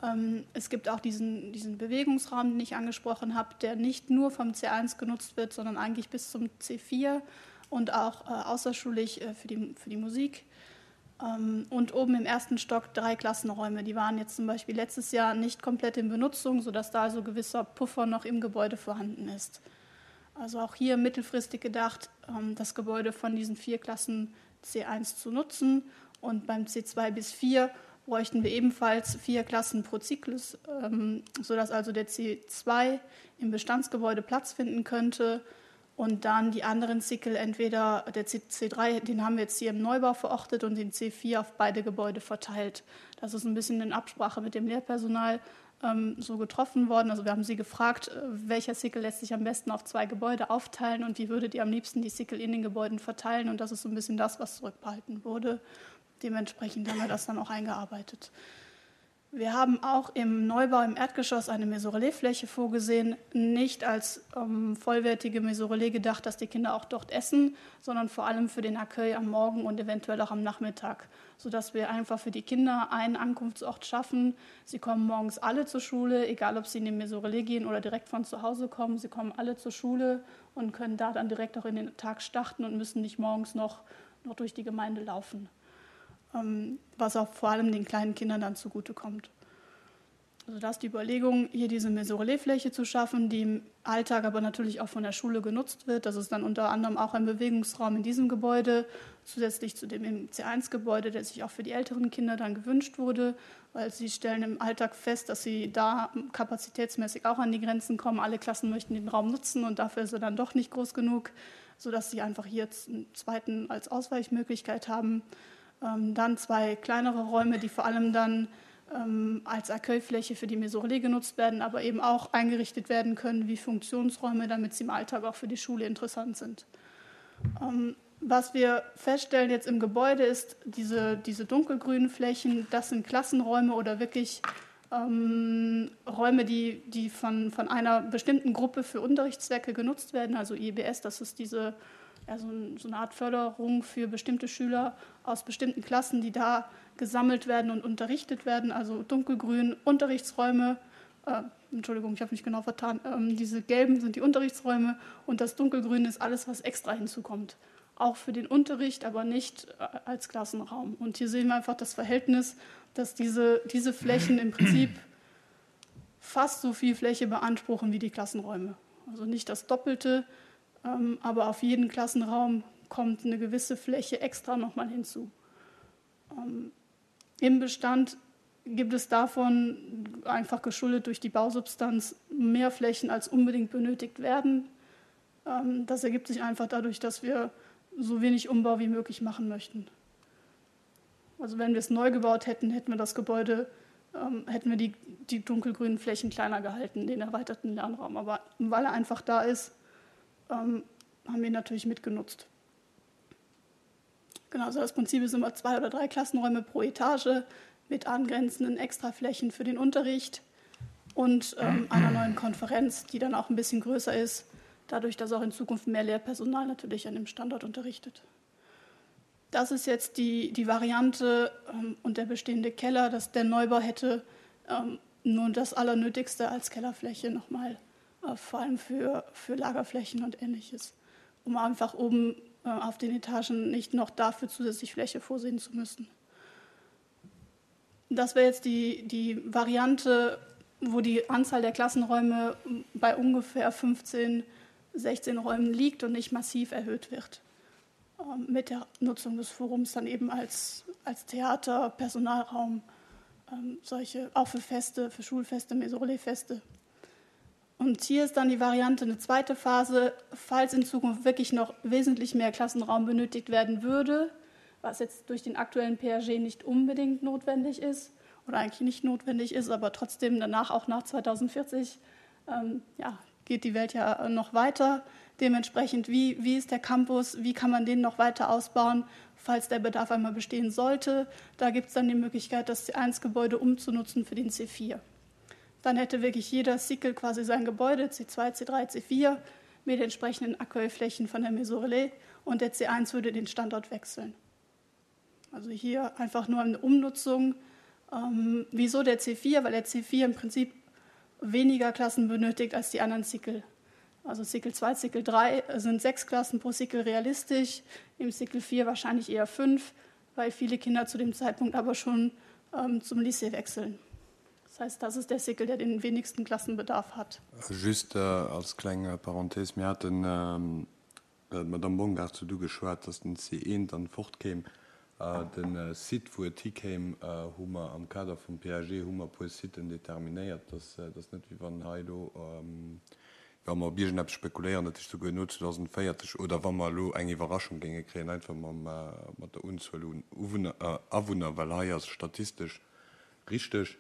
[SPEAKER 2] Ähm, es gibt auch diesen, diesen Bewegungsraum, den ich angesprochen habe, der nicht nur vom C eins genutzt wird, sondern eigentlich bis zum C vier und auch, äh, außerschulisch, äh, für die, für die Musik. Ähm, und oben im ersten Stock drei Klassenräume. Die waren jetzt zum Beispiel letztes Jahr nicht komplett in Benutzung, sodass da also gewisser Puffer noch im Gebäude vorhanden ist. Also auch hier mittelfristig gedacht, ähm, das Gebäude von diesen vier Klassen C eins zu nutzen. Und beim C zwei bis vier bräuchten wir ebenfalls vier Klassen pro Zyklus, ähm, sodass also der C zwei im Bestandsgebäude Platz finden könnte. Und dann die anderen Zyklen, entweder der C drei, den haben wir jetzt hier im Neubau verortet und den C vier auf beide Gebäude verteilt. Das ist ein bisschen in Absprache mit dem Lehrpersonal, ähm, so getroffen worden. Also wir haben sie gefragt, äh, welcher Zykl lässt sich am besten auf zwei Gebäude aufteilen und wie würdet ihr am liebsten die Zykl in den Gebäuden verteilen. Und das ist so ein bisschen das, was zurückbehalten wurde. Dementsprechend haben wir das dann auch eingearbeitet. Wir haben auch im Neubau im Erdgeschoss eine Maison-Relais-Fläche vorgesehen, nicht als, ähm, vollwertige Maison-Relais gedacht, dass die Kinder auch dort essen, sondern vor allem für den Accueil am Morgen und eventuell auch am Nachmittag, sodass wir einfach für die Kinder einen Ankunftsort schaffen. Sie kommen morgens alle zur Schule, egal ob sie in die Maison-Relais gehen oder direkt von zu Hause kommen. Sie kommen alle zur Schule und können da dann direkt auch in den Tag starten und müssen nicht morgens noch, noch durch die Gemeinde laufen. Ähm, was auch vor allem den kleinen Kindern dann zugutekommt. Also das ist die Überlegung, hier diese Maison-Relais-Fläche zu schaffen, die im Alltag aber natürlich auch von der Schule genutzt wird. Das ist dann unter anderem auch ein Bewegungsraum in diesem Gebäude, zusätzlich zu dem im C eins Gebäude, der sich auch für die älteren Kinder dann gewünscht wurde, weil sie stellen im Alltag fest, dass sie da kapazitätsmäßig auch an die Grenzen kommen. Alle Klassen möchten den Raum nutzen und dafür ist er dann doch nicht groß genug, sodass sie einfach hier jetzt einen zweiten als Ausweichmöglichkeit haben. Ähm, dann zwei kleinere Räume, die vor allem dann, ähm, als Accueilfläche für die Maison-Relais genutzt werden, aber eben auch eingerichtet werden können wie Funktionsräume, damit sie im Alltag auch für die Schule interessant sind. Ähm, was wir feststellen jetzt im Gebäude ist, diese, diese dunkelgrünen Flächen, das sind Klassenräume oder wirklich, ähm, Räume, die, die von, von einer bestimmten Gruppe für Unterrichtszwecke genutzt werden, also I B S, das ist diese, ja, so ein, so eine Art Förderung für bestimmte Schüler aus bestimmten Klassen, die da gesammelt werden und unterrichtet werden, also dunkelgrün Unterrichtsräume, äh, Entschuldigung, ich habe mich genau vertan, ähm, diese gelben sind die Unterrichtsräume und das dunkelgrün ist alles, was extra hinzukommt. Auch für den Unterricht, aber nicht, äh, als Klassenraum. Und hier sehen wir einfach das Verhältnis, dass diese, diese Flächen im Prinzip fast so viel Fläche beanspruchen wie die Klassenräume. Also nicht das Doppelte, ähm, aber auf jeden Klassenraum kommt eine gewisse Fläche extra nochmal hinzu. Ähm, im Bestand gibt es davon, einfach geschuldet durch die Bausubstanz, mehr Flächen, als unbedingt benötigt werden. Ähm, das ergibt sich einfach dadurch, dass wir so wenig Umbau wie möglich machen möchten. Also wenn wir es neu gebaut hätten, hätten wir das Gebäude, ähm, hätten wir die, die dunkelgrünen Flächen kleiner gehalten, den erweiterten Lernraum. Aber weil er einfach da ist, ähm, haben wir ihn natürlich mitgenutzt. Genau, also das Prinzip ist immer zwei oder drei Klassenräume pro Etage mit angrenzenden Extraflächen für den Unterricht und, ähm, einer neuen Konferenz, die dann auch ein bisschen größer ist, dadurch, dass auch in Zukunft mehr Lehrpersonal natürlich an dem Standort unterrichtet. Das ist jetzt die, die Variante, ähm, und der bestehende Keller, dass der Neubau hätte, ähm, nur das Allernötigste als Kellerfläche nochmal, äh, vor allem für, für Lagerflächen und Ähnliches, um einfach oben, äh, auf den Etagen nicht noch dafür zusätzlich Fläche vorsehen zu müssen. Das wäre jetzt die, die Variante, wo die Anzahl der Klassenräume bei ungefähr fünfzehn, sechzehn Räumen liegt und nicht massiv erhöht wird. Ähm, mit der Nutzung des Forums dann eben als, als Theater, Personalraum, ähm, solche, auch für Feste, für Schulfeste, Maison-Relais-Feste. Und hier ist dann die Variante eine zweite Phase, falls in Zukunft wirklich noch wesentlich mehr Klassenraum benötigt werden würde, was jetzt durch den aktuellen P A G nicht unbedingt notwendig ist oder eigentlich nicht notwendig ist, aber trotzdem danach auch nach zweitausendvierzig, ähm, ja, geht die Welt ja noch weiter. Dementsprechend, wie, wie ist der Campus, wie kann man den noch weiter ausbauen, falls der Bedarf einmal bestehen sollte. Da gibt's dann die Möglichkeit, das C eins Gebäude umzunutzen für den C vier. Dann hätte wirklich jeder Cycle quasi sein Gebäude, C zwei, C drei, C vier, mit entsprechenden Accueilflächen von der Maison Relais und der C eins würde den Standort wechseln. Also hier einfach nur eine Umnutzung. Ähm, wieso der C vier? Weil der C vier im Prinzip weniger Klassen benötigt als die anderen Cycle. Also Cycle zwei, Cycle drei sind sechs Klassen pro Cycle realistisch, im Cycle vier wahrscheinlich eher fünf, weil viele Kinder zu dem Zeitpunkt aber schon, ähm, zum Lycée wechseln. Das heißt, das ist der Cycle, der den wenigsten Klassenbedarf hat.
[SPEAKER 4] Just, äh, als kleine Parenthese, wir hatten, ähm, äh, Madame Bongard zu du geschwärzt, dass den C eins dann fortkäme. Äh, den, äh, Site, wo et hikäm, äh, hu mer am Kader vum P A G, hu mer puer Siten determinéiert, dass, äh, das net wie wann hei do, ähm, wa mer op irgendeppes spekuléieren, dat ist sogar no zweitausendvierzig oder wann mer lo eng Iwwerraschung géinge kréien, einfach mam, äh, mat der Unzuel un Uwunner, äh, Awunner, well hei ass statistisch richtig,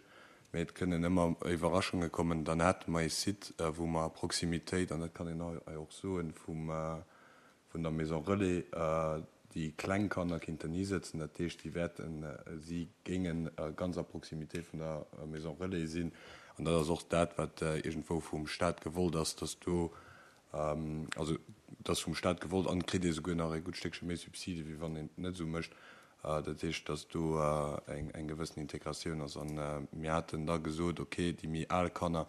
[SPEAKER 4] mee et kënnen ëmmer Iwwerraschunge kommen, dann hätte mer e Site, äh, wo mer Proximitéit, an dat kann een hei och soen, vum, äh, vun der Maison Relais, äh, die Kleinkanner kinnten nie sitzen, dat heescht, die werden, äh, sie gingen, äh, ganz a Proximité vun der, äh, Maison Relais sinn. An dat ass och dat, wat, äh, irgendwo vum Staat gewollt ass, dass du, ähm, also, das vum Staat gewollt an kritt sogar nach e gut Stückchen méi Subside, wie wann een net so mëscht. Äh, dat heescht, dass du, äh, eng, eng gewissen Integratioun ass. An, äh, mir hatten da gesot, okay, die méi al Kanner,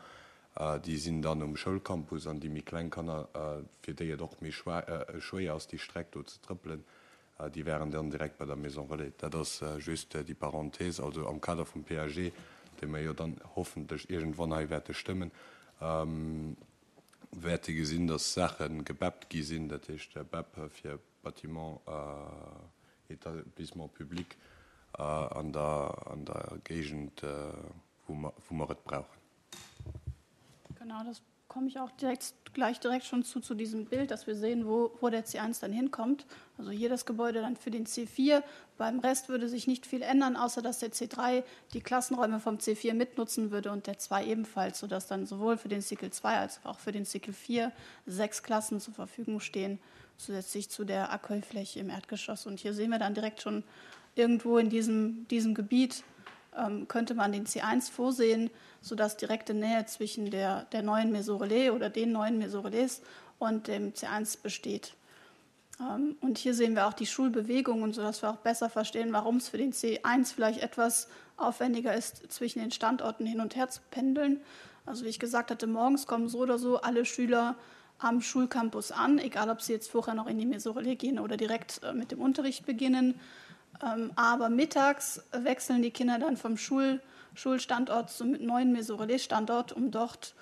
[SPEAKER 4] äh, die sinn dann um Schoulcampus an die méi kleng Kanner, äh, fir déi et och méi schwa-, äh, schwéier ass, die Streck do ze trëppelen, äh, die wären dann direkt bei der Maison Relais. Dat ass, äh, just, äh, die Parenthese, also am Kader vum P A G, den wir ja dann hoffentlich irgendwann hei werte stimmen, ähm, werte gesinn, dass Sachen gebappt gi sinn, dat heescht, der B A P fir Bâtiment, äh, Établissement public, äh, an der, an der Gegend, äh, wo wir, wo wir es brauchen.
[SPEAKER 2] Genau, das komme ich auch direkt, gleich direkt schon zu, zu diesem Bild, dass wir sehen, wo, wo der C eins dann hinkommt. Also hier das Gebäude dann für den C vier. Beim Rest würde sich nicht viel ändern, außer dass der C drei die Klassenräume vom C vier mitnutzen würde und der zwei ebenfalls, sodass dann sowohl für den Cycle zwei als auch für den Cycle vier sechs Klassen zur Verfügung stehen, zusätzlich zu der Accueilfläche im Erdgeschoss. Und hier sehen wir dann direkt schon irgendwo in diesem, diesem Gebiet, ähm, könnte man den C eins vorsehen, sodass direkte Nähe zwischen der, der neuen Maison Relais oder den neuen Maison Relais und dem C eins besteht. Ähm, und hier sehen wir auch die Schulbewegungen, sodass wir auch besser verstehen, warum es für den C eins vielleicht etwas aufwendiger ist, zwischen den Standorten hin und her zu pendeln. Also wie ich gesagt hatte, morgens kommen so oder so alle Schüler am Schulcampus an, egal ob sie jetzt vorher noch in die Maison Relais gehen oder direkt, äh, mit dem Unterricht beginnen. Ähm, aber mittags wechseln die Kinder dann vom Schul-, Schulstandort zum neuen Maison Relais Standort, um dort,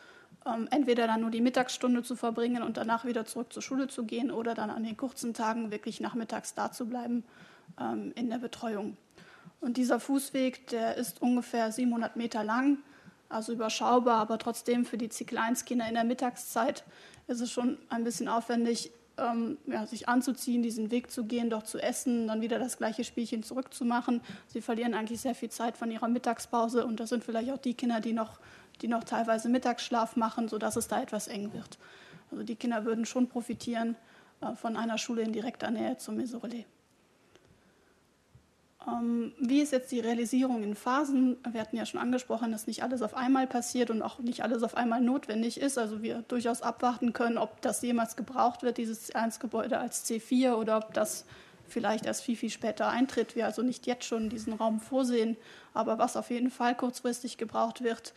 [SPEAKER 2] ähm, entweder dann nur die Mittagsstunde zu verbringen und danach wieder zurück zur Schule zu gehen oder dann an den kurzen Tagen wirklich nachmittags da zu bleiben, ähm, in der Betreuung. Und dieser Fußweg, der ist ungefähr siebenhundert Meter lang, also überschaubar, aber trotzdem für die Cycle eins Kinder in der Mittagszeit ist es schon ein bisschen aufwendig, ähm, ja, sich anzuziehen, diesen Weg zu gehen, dort zu essen, dann wieder das gleiche Spielchen zurückzumachen. Sie verlieren eigentlich sehr viel Zeit von ihrer Mittagspause und das sind vielleicht auch die Kinder, die noch, die noch teilweise Mittagsschlaf machen, sodass es da etwas eng wird. Also die Kinder würden schon profitieren, äh, von einer Schule in direkter Nähe zum Maison Relais. Ähm, wie ist jetzt die Realisierung in Phasen? Wir hatten ja schon angesprochen, dass nicht alles auf einmal passiert und auch nicht alles auf einmal notwendig ist. Also wir durchaus abwarten können, ob das jemals gebraucht wird, dieses C eins Gebäude als C vier, oder ob das vielleicht erst viel, viel später eintritt. Wir also nicht jetzt schon diesen Raum vorsehen. Aber was auf jeden Fall kurzfristig gebraucht wird,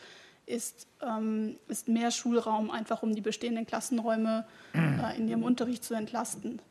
[SPEAKER 2] ist, ähm, ist mehr Schulraum, einfach um die bestehenden Klassenräume, äh, in ihrem Unterricht zu entlasten.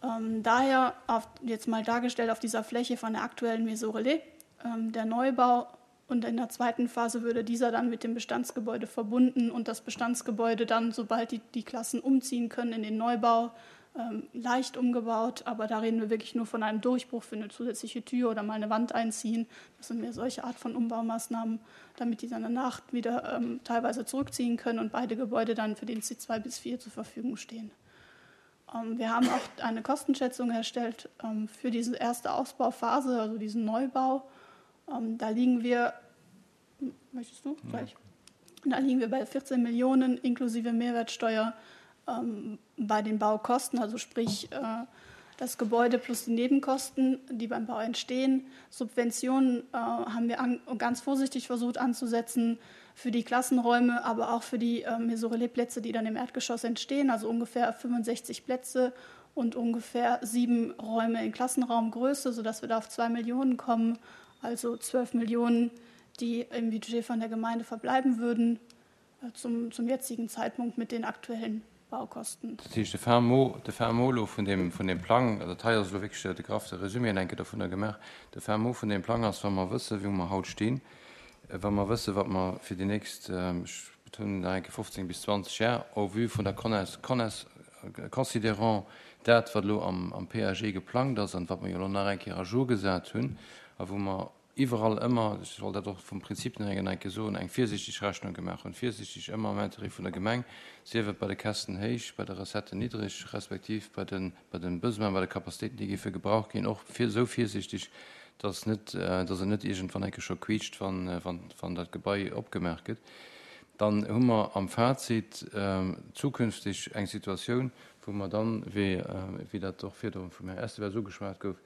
[SPEAKER 2] Ähm, daher auf, jetzt mal dargestellt auf dieser Fläche von der aktuellen Maison Relais, ähm, der Neubau, und in der zweiten Phase würde dieser dann mit dem Bestandsgebäude verbunden und das Bestandsgebäude dann, sobald die, die Klassen umziehen können in den Neubau, ähm, leicht umgebaut, aber da reden wir wirklich nur von einem Durchbruch für eine zusätzliche Tür oder mal eine Wand einziehen. Das sind mehr solche Art von Umbaumaßnahmen, damit die dann danach wieder ähm, teilweise zurückziehen können und beide Gebäude dann für den C zwei bis vier zur Verfügung stehen. Ähm, wir haben auch eine Kostenschätzung erstellt, ähm, für diese erste Ausbauphase, also diesen Neubau. Ähm, da liegen wir, möchtest du gleich? Da liegen wir bei vierzehn Millionen inklusive Mehrwertsteuer, ähm, bei den Baukosten, also sprich, äh, das Gebäude plus die Nebenkosten, die beim Bau entstehen. Subventionen, äh, haben wir an, ganz vorsichtig versucht anzusetzen für die Klassenräume, aber auch für die, äh, Maison-Relais-Plätze, die dann im Erdgeschoss entstehen, also ungefähr fünfundsechzig Plätze und ungefähr sieben Räume in Klassenraumgröße, sodass wir da auf zwei Millionen kommen, also zwölf Millionen, die im Budget von der Gemeinde verbleiben würden, äh, zum, zum jetzigen Zeitpunkt mit den aktuellen Baukosten.
[SPEAKER 1] Das heißt, der Fermo, der Fermolo von dem, von dem Plan, also das ist wirklich der Graf der Resümee, denke ich, davon gemacht. Der Fermo von dem Plan ist, wenn wir wissen, wie wir heute stehen, wenn wir wissen, was wir für die nächsten, ähm, ich betone, denke, fünfzehn bis zwanzig Jahre, au vu von der Connaisse, Connaisse, considérant das, was lo am, am P A G geplant ist und was wir ja noch ein à jour gesagt haben, wo wir überall immer, ich wollte das auch vom Prinzip her eigentlich so, eine vorsichtige Rechnung gemacht und vorsichtig immer im Interesse von der Gemeinde, sie wird bei den Kästen hoch, bei der Recette niedrig, respektiv bei den, bei den Besoinen, bei den Kapazitäten, die für Gebrauch gehen, auch viel, so vorsichtig, dass nicht, äh, dass er nicht irgendwann eigentlich schon quietscht, wenn, äh, wenn, wenn das Gebäude abgemerkt wird. Dann haben wir am Fazit, ähm, zukünftig eine Situation, wo man dann, wie, äh, wie das doch für den, vom Herrn Esteve so geschwärzt wird,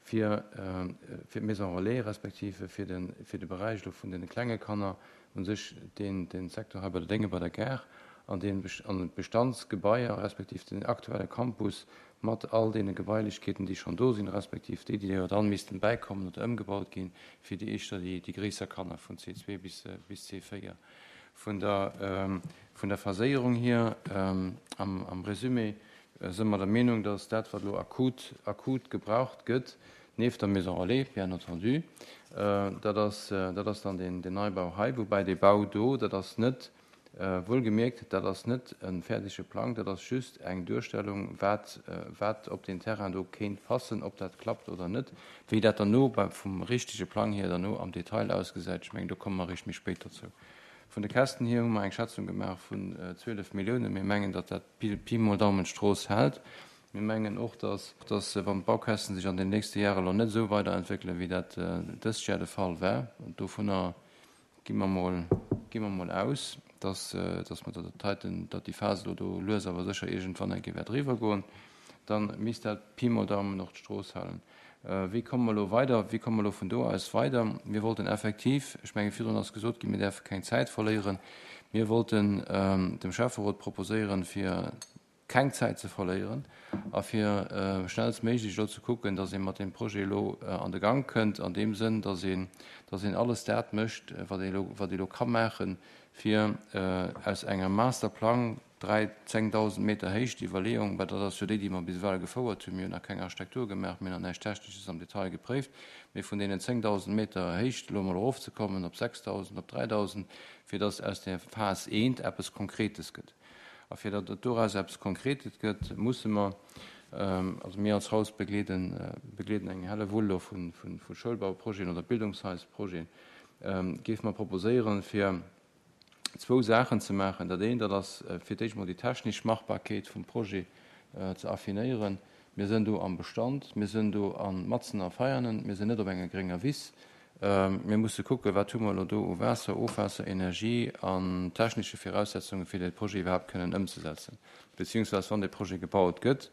[SPEAKER 1] für, äh, für Maison Relais, respektive für den, für den Bereich von den kleinen Kanner und sich den, den Sektor bei der Dinge bei der Gare an den Best-, an den Bestandsgebäude, respektive den aktuellen Campus mit all den Gebäulichkeiten, die schon da sind, respektive die, die ja dann müssten beikommen oder umgebaut gehen, für die ich da die, die größere Kanner von C zwei bis, äh, bis C vier. Von der, ähm, von der Versicherung hier, ähm, am, am Resümee, äh, sind wir der Meinung, dass das, was akut, akut gebraucht wird, neben der Maison Relais, bien entendu, äh, dass das, äh, das dann den, den Neubau hei, wobei der Bau do, dass das nicht, äh, wohlgemerkt, dass das nicht ein fertiger Plan, dass das just eine Durchstellung, was, äh, was ob den Terrain do kennt passen, ob das klappt oder nicht, wie das dann nur bei, vom richtigen Plan hier dann nur am Detail ausgesetzt, ich meine, da kommen wir richtig später zu. Von den Kästen hier haben wir eine Schätzung gemacht von, äh, zwölf Millionen. Wir mengen, dass das Pi, Pi mal Daumen Stroß hält. Wir mengen auch, dass, dass, äh, wenn Baukästen sich an den nächsten Jahren noch nicht so weiterentwickeln, wie das, äh, das Jahr der Fall wäre. Und davon, äh, gehen wir mal, gehen wir mal aus, dass, äh, dass wir da Titan, dass die Phase da lösen, aber sicher irgendwann ein Gewehr drüber gehen. Dann müsste das Pi mal Daumen noch die Stroß halten. Äh, wie kommen wir lo weiter? Wie kommen wir lo von da aus weiter? Wir wollten effektiv, ich meine, vielen hast gesagt, wir dürfen keine Zeit verlieren. Wir wollten, ähm, dem Schäfferot proposieren, für keine Zeit zu verlieren, aber für, äh, schnellstmöglich lo zu gucken, dass ihr mit dem Projekt lo, äh, an den Gang könnt, an dem Sinn, dass ihr, dass ihr alles das möcht, was ihr lo, was ihr lo kann machen, für, äh, aus einem Masterplan drei, zehntausend Meter hoch, die Überlegung, weil das ist für die, die man bis weit gefordert haben, wir haben noch keine Architektur gemacht, wir haben noch nichts Technisches am Detail geprüft, wir von denen zehntausend Meter hoch, lo mal raufzukommen, ob sechstausend, ob dreitausend, für das aus der Phase eins etwas Konkretes gibt. Aber für das daraus etwas Konkretes gibt, müssen wir, ähm, also wir als Haus begleiten, äh, begleiten eine helle Wulle von, von, von Schulbauprojekten oder Bildungshausprojekten, ähm, geben wir proposieren für zwei Sachen zu machen. Das eine, das ist, äh, für dich mal die technische Machbarkeit vom Projekt, äh, zu affinieren. Wir sind da am Bestand, wir sind da an Matzen a Feiernen, wir sind nicht auf einer geringen Wies. Ähm, wir müssen gucken, was tun wir da an Wasser, Ofwasser, Energie, an technische Voraussetzungen für das Projekt überhaupt können umzusetzen. Beziehungsweise, wenn das Projekt gebaut wird,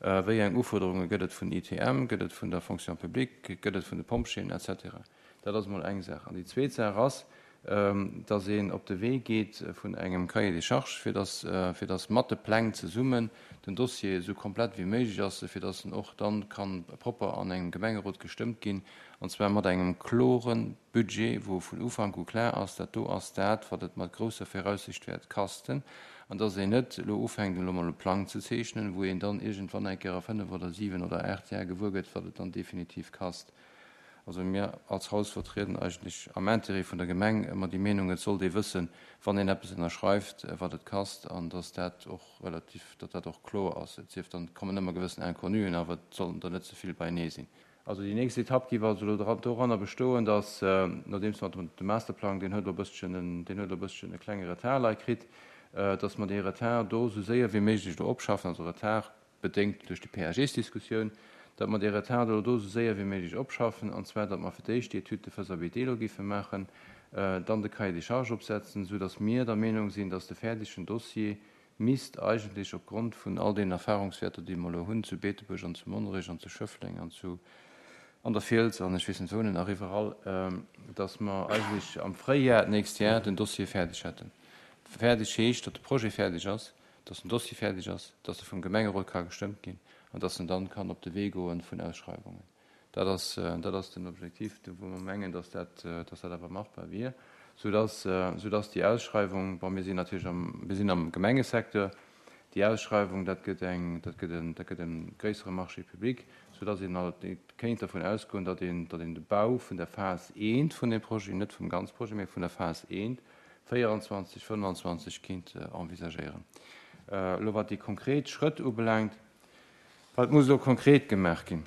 [SPEAKER 1] äh, welche Anforderungen gibt es von I T M, gibt es von der Fonction Publique, gibt es von den Pompschienen et cetera. Das ist mal eine Sache. Und die zweite Sache ist, ähm, dass een op de Weg geht vun engem Cahier des Charges, fir dass, äh, fir dass Mathepläng zesummen den Dossier so komplett wie möglich ass, fir dass en och dann kann proper an engem Gemengerot gestëmmt ginn, und zwar mat engem kloren Budget, wo vun Ufang u klar ass, dat do ass dat, wat et mat grosser Voraussicht wäert kasten, an dass een net lo ufängt, lo mal e Plan ze zeechnen, wo een dann irgendwann eng Kéier fënnef oder siwen oder acht Jahre gewuer gëtt, wat et dann definitiv kast. Also mir als Haus vertrieden eigentlech am Intérêt vun der Gemeng ëmmer déi Meenung, et sollt ee wëssen, wann een eppes ënnerschreift, wat et kascht an dass dat och relativ, datt dat och kloer ass. Et sief dann, et kommen ëmmer gewëssen Inconnuen, awer et sollten der net ze vill beienee sinn. Also déi nächst Etapp géif also elo doranner bestoen, dass, nodeems mer de Masterplang, deen huet elo e bësschen en, deen huet elo e bësschen e klenge Retard lei kritt, dass mer dee Retard do esou séier wéi méiglech elo opschaffen, also Retard bedéngt duerch déi PAG-Diskussioun, datt mer dee Retard elo do esou séier wéi méiglech opschaffen, an zwar datt mer fir d'éischt déi Étude de faisabilité elo géife maachen, dann de Cahier des charges opsetzen, esou datt mir der Meenung sinn, datt de fäerdegen Dossier misst eigentlech opgrond vun all deenen Erfahrungswäerter, déi mer elo hunn zu Beetebuerg an zu Monnerech an zu Schëffleng an zu an der Fiels an ech weess net wou nach iwwerall, datt mer eigentlech am Fréijar d'nächst Jar den Dossier fäerdeg hätten. Fäerdeg heescht, datt de Projet fäerdeg ass, datt den Dossier fäerdeg ass, datt e vum Gemengerot ka gestëmmt ginn an datt en dann kann op de Wee goen vun Ausschreiwungen. Dat ass, dat ass den Objektiv, wou mer mengen, datt dat, datt dat awer machbar wier, soudatt, soudatt déi Ausschreiwung, bon, mir sinn natierlech am, mir sinn am Gemengesecteur, déi Ausschreiwung, dat gëtt eng, dat gëtt en, dat gëtt e gréissere Marché public, soudatt een alt kéint dervun ausgoen, datt een, datt een de Bau vun der Phas I vun deem Projet, net vum ganz Projet, mä vun der Phas I, véieranzwanzeg, fënnefanzwanzeg kéint envisagéieren. Elo wat déi konkret Schrëtt ubelaangt, wat muss elo konkret gemaach ginn?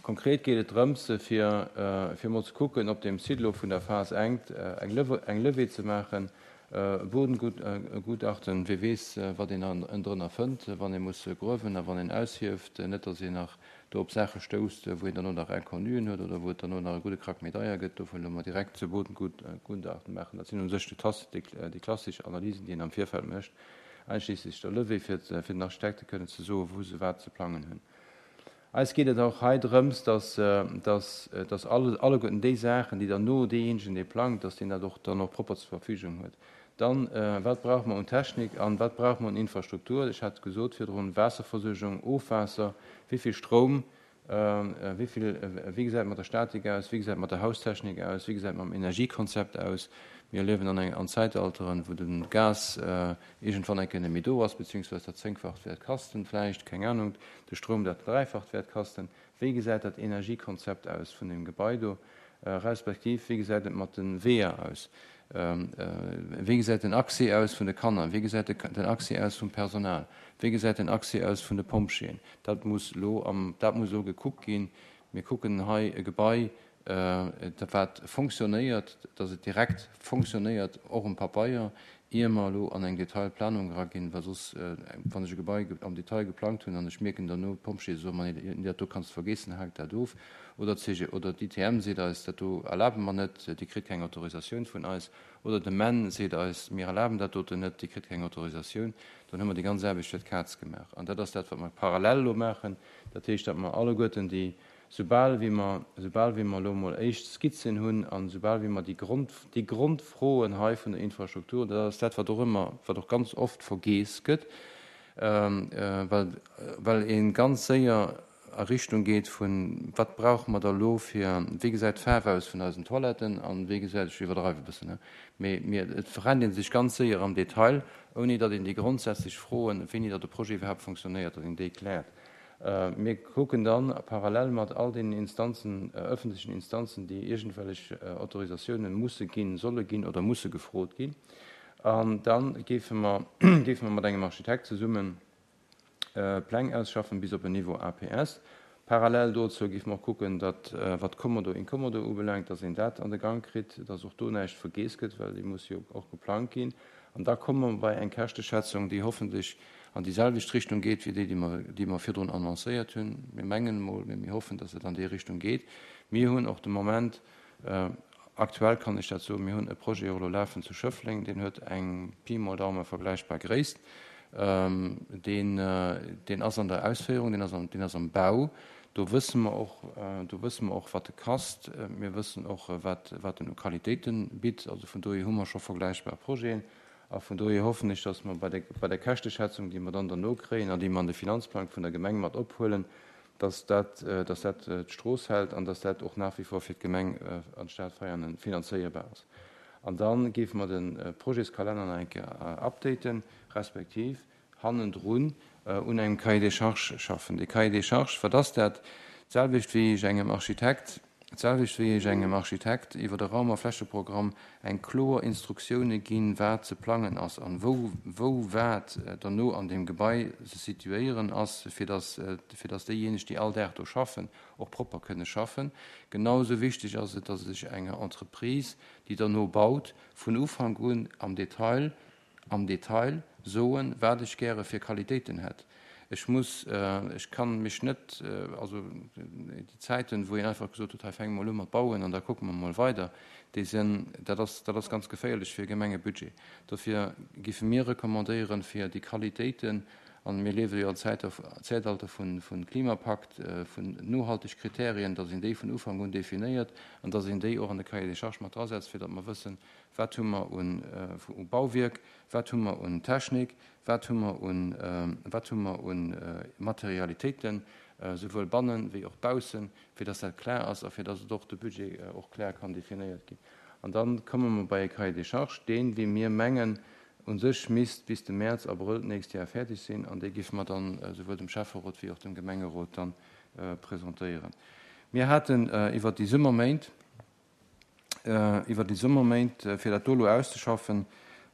[SPEAKER 1] Konkret geet et drëms, fir, fir emol ze kucken, op deem Site elo vun der Phas I eng eng Levée ze maachen, e Bodengutachten, wie weess, wat een ënnendrënner fënnt, wann ee muss gruewen a wann een aushieft, net datt een nach do op Saache stousst, wou een derno nach Inconnuen huet oder wou et derno nach e gudde Krack méi deier gëtt. Dofir elo mol direkt e Bodengutachten maachen. Dat sinn u sech déi klassesch Analysen, déi een am Virfeld mécht, einschliesslech der Levée, fir den Architekte kënnen ze soen, wou se wat ze plangen hunn. Eis geet et och hei drëms, dass, dass, dass alleguerten déi Saachen, déi derno deejéinegen, dee plangt, dass deen dat och dann och propper zur Verfügung huet. Dann, wat brauche mer un Technik an wat brauche mer un Infrastruktur? Ech hat gesot virdrun, Waasserversuergung, Ofwaasser, wéi vill Stroum, wéi vill, wéi gesäit et mat der Statik aus, wéi gesäit et mat der Haustechnik aus, wéi gesäit et mam Energiekonzept aus? Mir liewen an eng, an Zäitalteren, wou de Gas iergendwann eng Kéier net méi do ass, beziehungsweise dat Zéngfacht wäert kasten vläicht, keng Ahnung, de Stroum dat Dräifacht wäert kasten. Wéi gesäit dat Energiekonzept aus vun deem Gebai do, respektiv wéi gesäit et mat de Weeër aus? Wéi gesäit den Accès aus vun de Kanner? Wéi gesäit den Accès aus vum Personal? Wéi gesäit den Accès aus vun de Pompjeeën? Dat muss elo am, dat muss elo gekuckt ginn. Mir kucken hei e Gebai, wat fonctionnéiert, dass et direkt fonctionnéiert, och um Papeier, ier mer elo an eng Detailplanung eraginn, well soss, wann ech e Gebai am Detail geplangt hunn an ech mierken derno, d'Pompjeeë soen mer, nee, dat do kanns de vergeessen, hak dat of, oder d'C G oder d'I T M seet eis, dat do erlabe mer net, Dir kritt keng Autorisatioun vun eis, oder de M E N seet eis, mir erlaben dat doten net, Dir kritt keng Autorisatioun, dann hu mer déi ganz Aarbecht fir d'Kaz gemaach. An dat ass dat, wat mer parallel elo maachen. Dat heescht, datt mer alleguerten déi, soubal wéi mer, soubal wéi mer elo emol éischt Skizzen hunn an soubal wéi mer déi Grond, déi Grondfroen hei vun der Infrastruktur, dat ass dat, wat och ëmmer, wat och ganz oft vergeess gëtt, well, well ee ganz séier a Richtung geet vun, wat brauche mer da elo fir, wéi gesäit d'Faarf aus vun eisen Toiletten an wéi gesäit, ech iwwerdreiwe e bëssen, ne, mee mir, et verrennt ee sech ganz séier am Detail, ouni datt een déi grondsätzlech Froen, wéini datt de Projet iwwerhaapt fonctionnéiert, datt een déi kläert. Mir kucken dann parallel mat all deenen Instanzen, öffentlichen Instanzen, déi iergendwellech Autorisatiounen musse ginn, solle ginn oder musse gefrot ginn. An dann géife mer, géife mer mat engem Architekt zesummen Pläng ausschaffen bis op en Niveau A P S. Parallel dozou géife mer och kucken, datt, wat Kommodo Incommodo ubelaangt, datt een dat an de Gang kritt, datt och do näischt vergeess gëtt, well déi muss jo och geplangt ginn. An da komme mer bei eng Käschteschätzung, déi hoffentlech an déi selwecht Richtung geet, wéi déi, déi mer, déi mer virdrun annoncéiert hunn. Mir mengen emol, mee mir hoffen, datt et an déi Richtung geet. Mir hunn och de Moment, aktuell kann ech dat soen, mir hunn e Projet och elo lafen zu Schëffleng, deen huet eng Pi mol Daumen vergläichbar Gréisst. Deen, deen ass an der Ausféierung, deen ass am, deen ass am Bau. Do wësse mer och, do wësse mer och, wat e kascht. Mir wëssen och, wat, wat en u Qualitéiten bitt. Also vun dohier hu mer scho vergläichbar Projeten. A vun dohier hoffen ech, dass mer bei der, bei der Käschteschätzung, déi mer dann derno kréien an déi mer an de Finanzplang vun der Gemeng mat ophuelen, dass dat, dass dat d'Strooss hält an dass dat och nach wie vor fir d'Gemeng an d'Stad Veianen finanzéierbar ass. An dann géife mer de Projetskalenner nach eng Kéier updaten, respektiv hannendrun un engem Cahier des charges schaffen. De Cahier des charges, wat ass dat? D'selwecht wéi ech engem Architekt D'selwecht wéi ech engem Architekt iwwer e Raum a Flächeprogramm eng kloer Instruktioune ginn, wat ze plangen ass an wou wou wat derno an deem Gebai ze situéieren ass, fir dass fir dass déijéineg, déi all Dag do schaffen, och propper kënne schaffen. Genau esou wichteg ass et, dass ech enger Entreprise, déi derno baut, vun Ufank un am Detail am Detail soen, wat ech gäre fir Qualitéiten hätt. Ech muss, ech kann mech net, also déi Zäiten, wou een einfach gesot huet, hei fänke mer elo u mat bauen an da kucke mer mol weider, déi sinn, dat ass, dat ass ganz geféierlech fir e Gemengebudget. Dofir géife mir recommandéieren, fir déi Qualitéiten, an mir liewe jo am Zäitalter vu Klimapakt, vun nohalteg Kriterien, datt een déi vun Ufank un definéiert an datt een déi och an de Cahier des charges mat drasetzt, fir datt mer wëssen, Wat hu mer un Bauwierk, wat hu mer un Technik, wat hu mer un, wat hu mer un Materialitéiten, souwuel bannen wéi och baussen, fir dass dat klar ass a fir dass et och de Budget och klar kann definéiert ginn. An da komme mer bei e Cahier des charges, deen, wéi mir mengen, u sech misst bis de Mäerz, Abrëll d'nächst Jar fäerdeg sinn, an dee géife mer dann souwuel dem Schäfferot wéi och dem Gemengerot dann presentéieren. Mir haten iwwert déi Summerméint, Iwwer déi Summerméint, fir dat do elo auszeschaffen,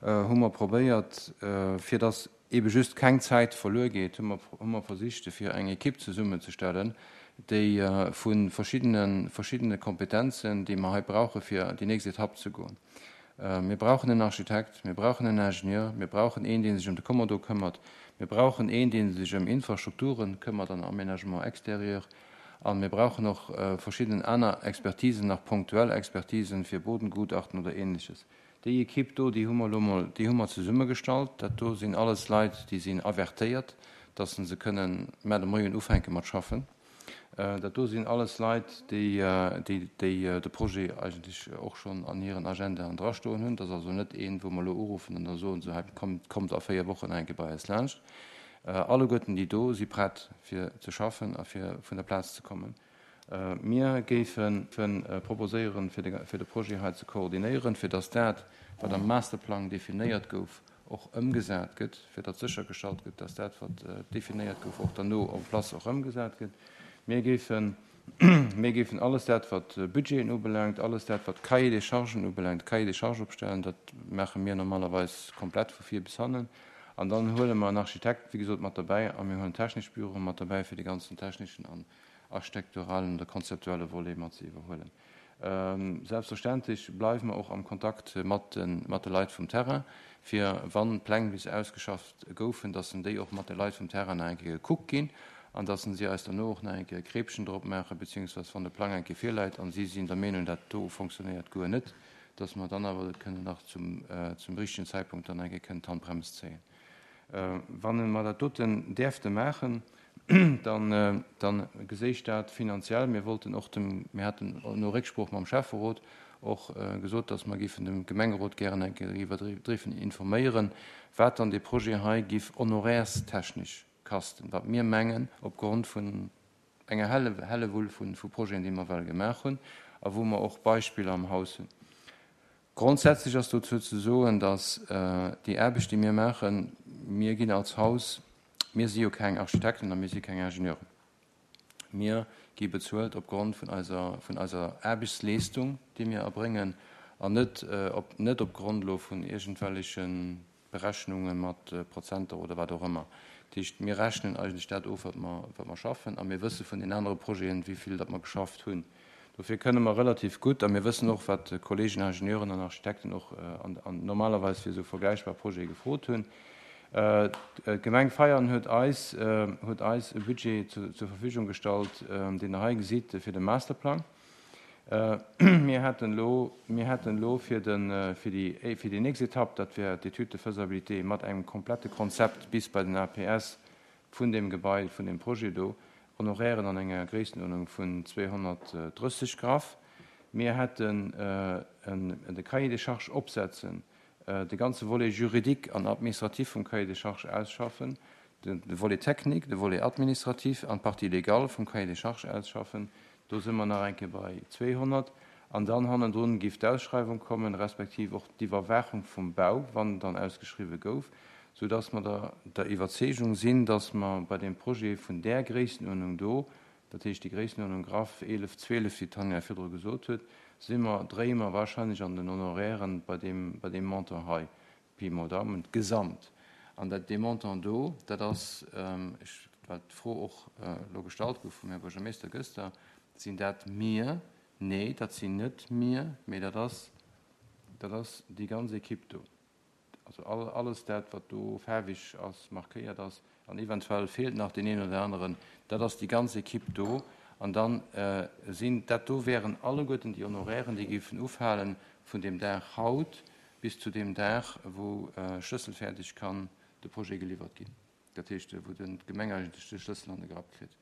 [SPEAKER 1] hu mer probéiert, fir dass eebe just keng Zäit verluer geet, hu mer, hu mer versicht, fir eng Ekipp zesummenzestellen, déi vu verschiddene, verschiddene Kompetenzen, déi mer hei brauche fir déi nächst Etapp ze goen. Mir brauchen en Architekt, mir brauchen en Ingenieur, mir brauchen een, dee sech ëm de Kommodo këmmert, mir brauchen een, dee sech ëm Infrastrukture këmmert an Aménagement extérieur, A mir brauchen och verschidden aner Expertisen, nach punktuell Expertisen fir Bodengutachten oder Ähnleches. Déi Equipe do, déi hu mer elo mol, déi hu mer zesummegestallt. Dat do sinn alles Leit, déi sinn avertéiert, dass se kënnen mar de Moien ufänke mat schaffen. Dat do sinn alles Leit, déi, déi, déi de Projet eigentlech och schonn an hiren Agendaen drastoen hunn. Dat ass also net een, wou mer elo uruffen an da soen se, hei kommt, kommt a véier Wochen nach eng Kéier bei eis laanscht. Alleguerten déi do si prett fir ze schaffen a fir vun der Plaz ze kommen. Mir géife proposéieren, fir de Projet hei ze koordinéieren, fir datt dat, wat am Masterplang definéiert gouf, och ëmgesat gëtt, fir datt séchergestallt gëtt, datt dat, wat definéiert gouf, och derno en place och ëmgesat gëtt. Mir géifen, mir géifen alles dat, wat Budgeten ubelaangt, alles dat, wat Cahier des charges ubelaangt, Cahier des charges opstellen, dat maache mir normalerweis komplett vu vir bis hannen. An dann huele mer en Architekt, wéi gesot, mat derbäi a mir huelen technesch Büroe mat derbäi, fir de ganzen techneschen an architekturalen oder konzeptuelle Volet mat ze iwwerhuelen. Selbstverständlech bleiwe mer och am Kontakt mat de Leit vum Terrain, fir, wann d'Pläng bis ausgeschafft goufen, dass déi och mat de Leit vum Terrain nach eng Kéier gekuckt ginn an dass si eis derno och nach eng Kéier e Kreepchen drop maachen, beziehungsweise wann de Plang eng Kéier virläit a si sinn der Meenung, dat do fonctionnéiert guer net, dass mer dann awer kënnen nach zum, zum richtigen Zeitpunkt dann eng Kéier kënnen d'Handbrems zéien. Wann mer dat doten däerfte maachen, dann, dann geséich dat finanziell, mir wollten och dem, mir haten no Récksprooch mam Schäfferot och gesot, dass mer géifen dem Gemengerot gären eng Kéier iwwer informéieren, wat dann dee Projet hei giff honorairstechnesch kasten, wat mir mengen opgrond vun enger Helle, Hellewull vu, vu Projeten, déi mer well gemaach hunn a wou mer och Beispiller am Haus hunn. Grondsätzlech ass dozou ze soen, dass déi Aarbecht, déi mir maachen, mir ginn als Haus, mir si jo keng Architekten a mir si keng Ingenieuren, mir gi bezuelt opgrond vun eiser, vun eiser Aarbechtsleestung, déi mir erbréngen, an net op, net opgrond elo vun iergendwelleche Berechnunge mat Prozenter oder wat och ëmmer. Dat heescht, mir rechnen eigentlech dat of, wat mer, wat mer schaffen, a mir wësse vun den anere Projeten, wéi vill datt mer geschafft hunn. Dofir kënne mer relativ gutt, a mir wëssen och, wat d'Kollegen Ingenieuren an Architekten och an, an normalerweis fir esou vergläichbar Projete gefrot hunn. D'Gemeng Veianen huet eis, huet eis e Budget zu, zur Verfügung gestallt, deen Der hei gesitt, fir de Masterplang. Mir hätten elo, mir hätten elo fir de, fir déi, fir déi nächst Etapp, dat wär d'Étude de faisabilité mat engem komplette Konzept bis bei den A P S vun deem Gebai, vun deem Projet do, Honorairen an enger Gréisstenuerdnung vun zweehonnertdrësseg graff. Mir hätten de Cahier des charges opsetzen, de ganze Volet juridique an administratif vum Cahier des charges ausschaffen, de Volet technique, de Volet administratif an d'Partie légale vum Cahier des charges ausschaffen. Do si mer nach eng Kéier bei zweehonnert. An dann hannendrun géif d'Ausschreiwung kommen, respektiv och d'Iwwerwaachung vum Bau, wann dann ausgeschriwwe gouf, soudass mer der der Iwwerzeegung sinn, dass mer bei deem Projet vun där Gréisstenuerdnung do Dat heescht, déi Gréissenuerdnung graff eelef, zwielef, wéi d'Tanja virdru gesot huet, si mer, dréie mer wahrscheinlech an den Honorairen bei deem, bei deem Montant hei, Pi mol Daumen, gesamt. An dat, dee Montant do, dat ass, ech, well d'Fro och elo gestallt gouf vum Här Buergermeester gëster, sinn dat mir? Nee, dat sinn net mir, mee dat ass, dat ass déi ganz Equipe do. Also all, alles dat, wat do faarweg ass, markéiert ass, an eventuell feelt nach deen een oder aneren, dat ass déi ganz Equipe do. An dann sinn dat do wären alleguerten déi Honorairen, déi géifen ufalen vun deem Dag haut bis zu deem Dag, wou schlësselfäerdeg kann de Projet geliwwert ginn. Dat heescht, wou den d'Gemeng eigentlech de Schlëssel an de Grapp kritt.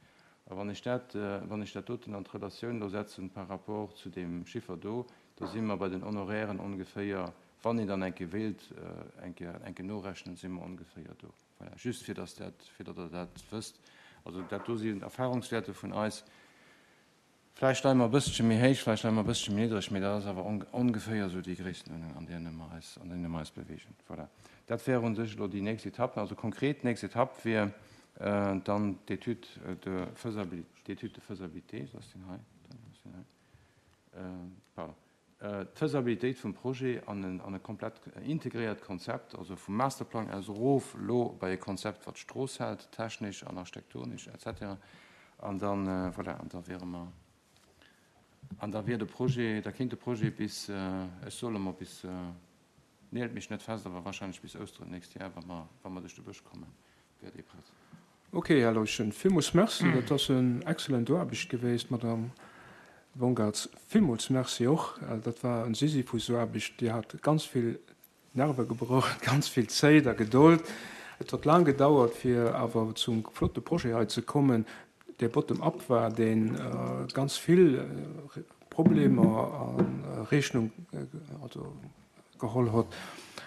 [SPEAKER 1] A wann ech dat, wann ech dat doten an d'Relatioun elo setzen par rapport zu deem Chiffer do, da si mer bei den Honorairen ongeféier, wann een dann eng Kéier wéilt eng Kéier, eng Kéier norechnen, si mer ongeféier do. Voilà, just fir dass dat, fir datt Der dat wësst. Also dat do sinn Erfahrungswäerte vun eis. Vläicht leie mer e bësselche méi héich, vläicht leie mer e bësselche méi niddreg, mee dat ass awer ongeféier esou déi Gréisstenuerdnung, an deene mer eis, an deene mer eis bewegen. Voilà, dat wär u sech elo déi nächst Etapp. Also konkret, d'nächst Etapp wier dann d'Étude de faisabilité, d'Étude de faisabilité, ass deen hei, ass deen hei, pardon, d'Faisabilitéit vum Projet an en, an e komplett integréiert Konzept, also vum Masterplang aus erof elo bei e Konzept, wat d'Strooss hält, technesch an architektonesch et cetera. An dann, voilà, an da wiere mer, an da wier de Projet, da kéint de Projet bis, ech soe mol bis, neelt mech net fest, awer wahrscheinlech bis Ousteren d'nächst Jar, wa mer, wa mer duerch de Bësch kommen, wär dee prett.
[SPEAKER 3] Ok, Här Leuschen, villmools Merci. Dat ass en excellent Aarbecht geweest, Madame Bongartz. Villmools Merci och. Dat war en Sisyphus-Aarbecht. Dir hat ganz vill Nerve gebraucht, ganz vill Zäit a Gedold. Et huet laang gedauert, fir awer zum flotte Projet hei ze kommen, dee bottom-up war, dee ganz vill Problemer a Rechnung also geholl huet.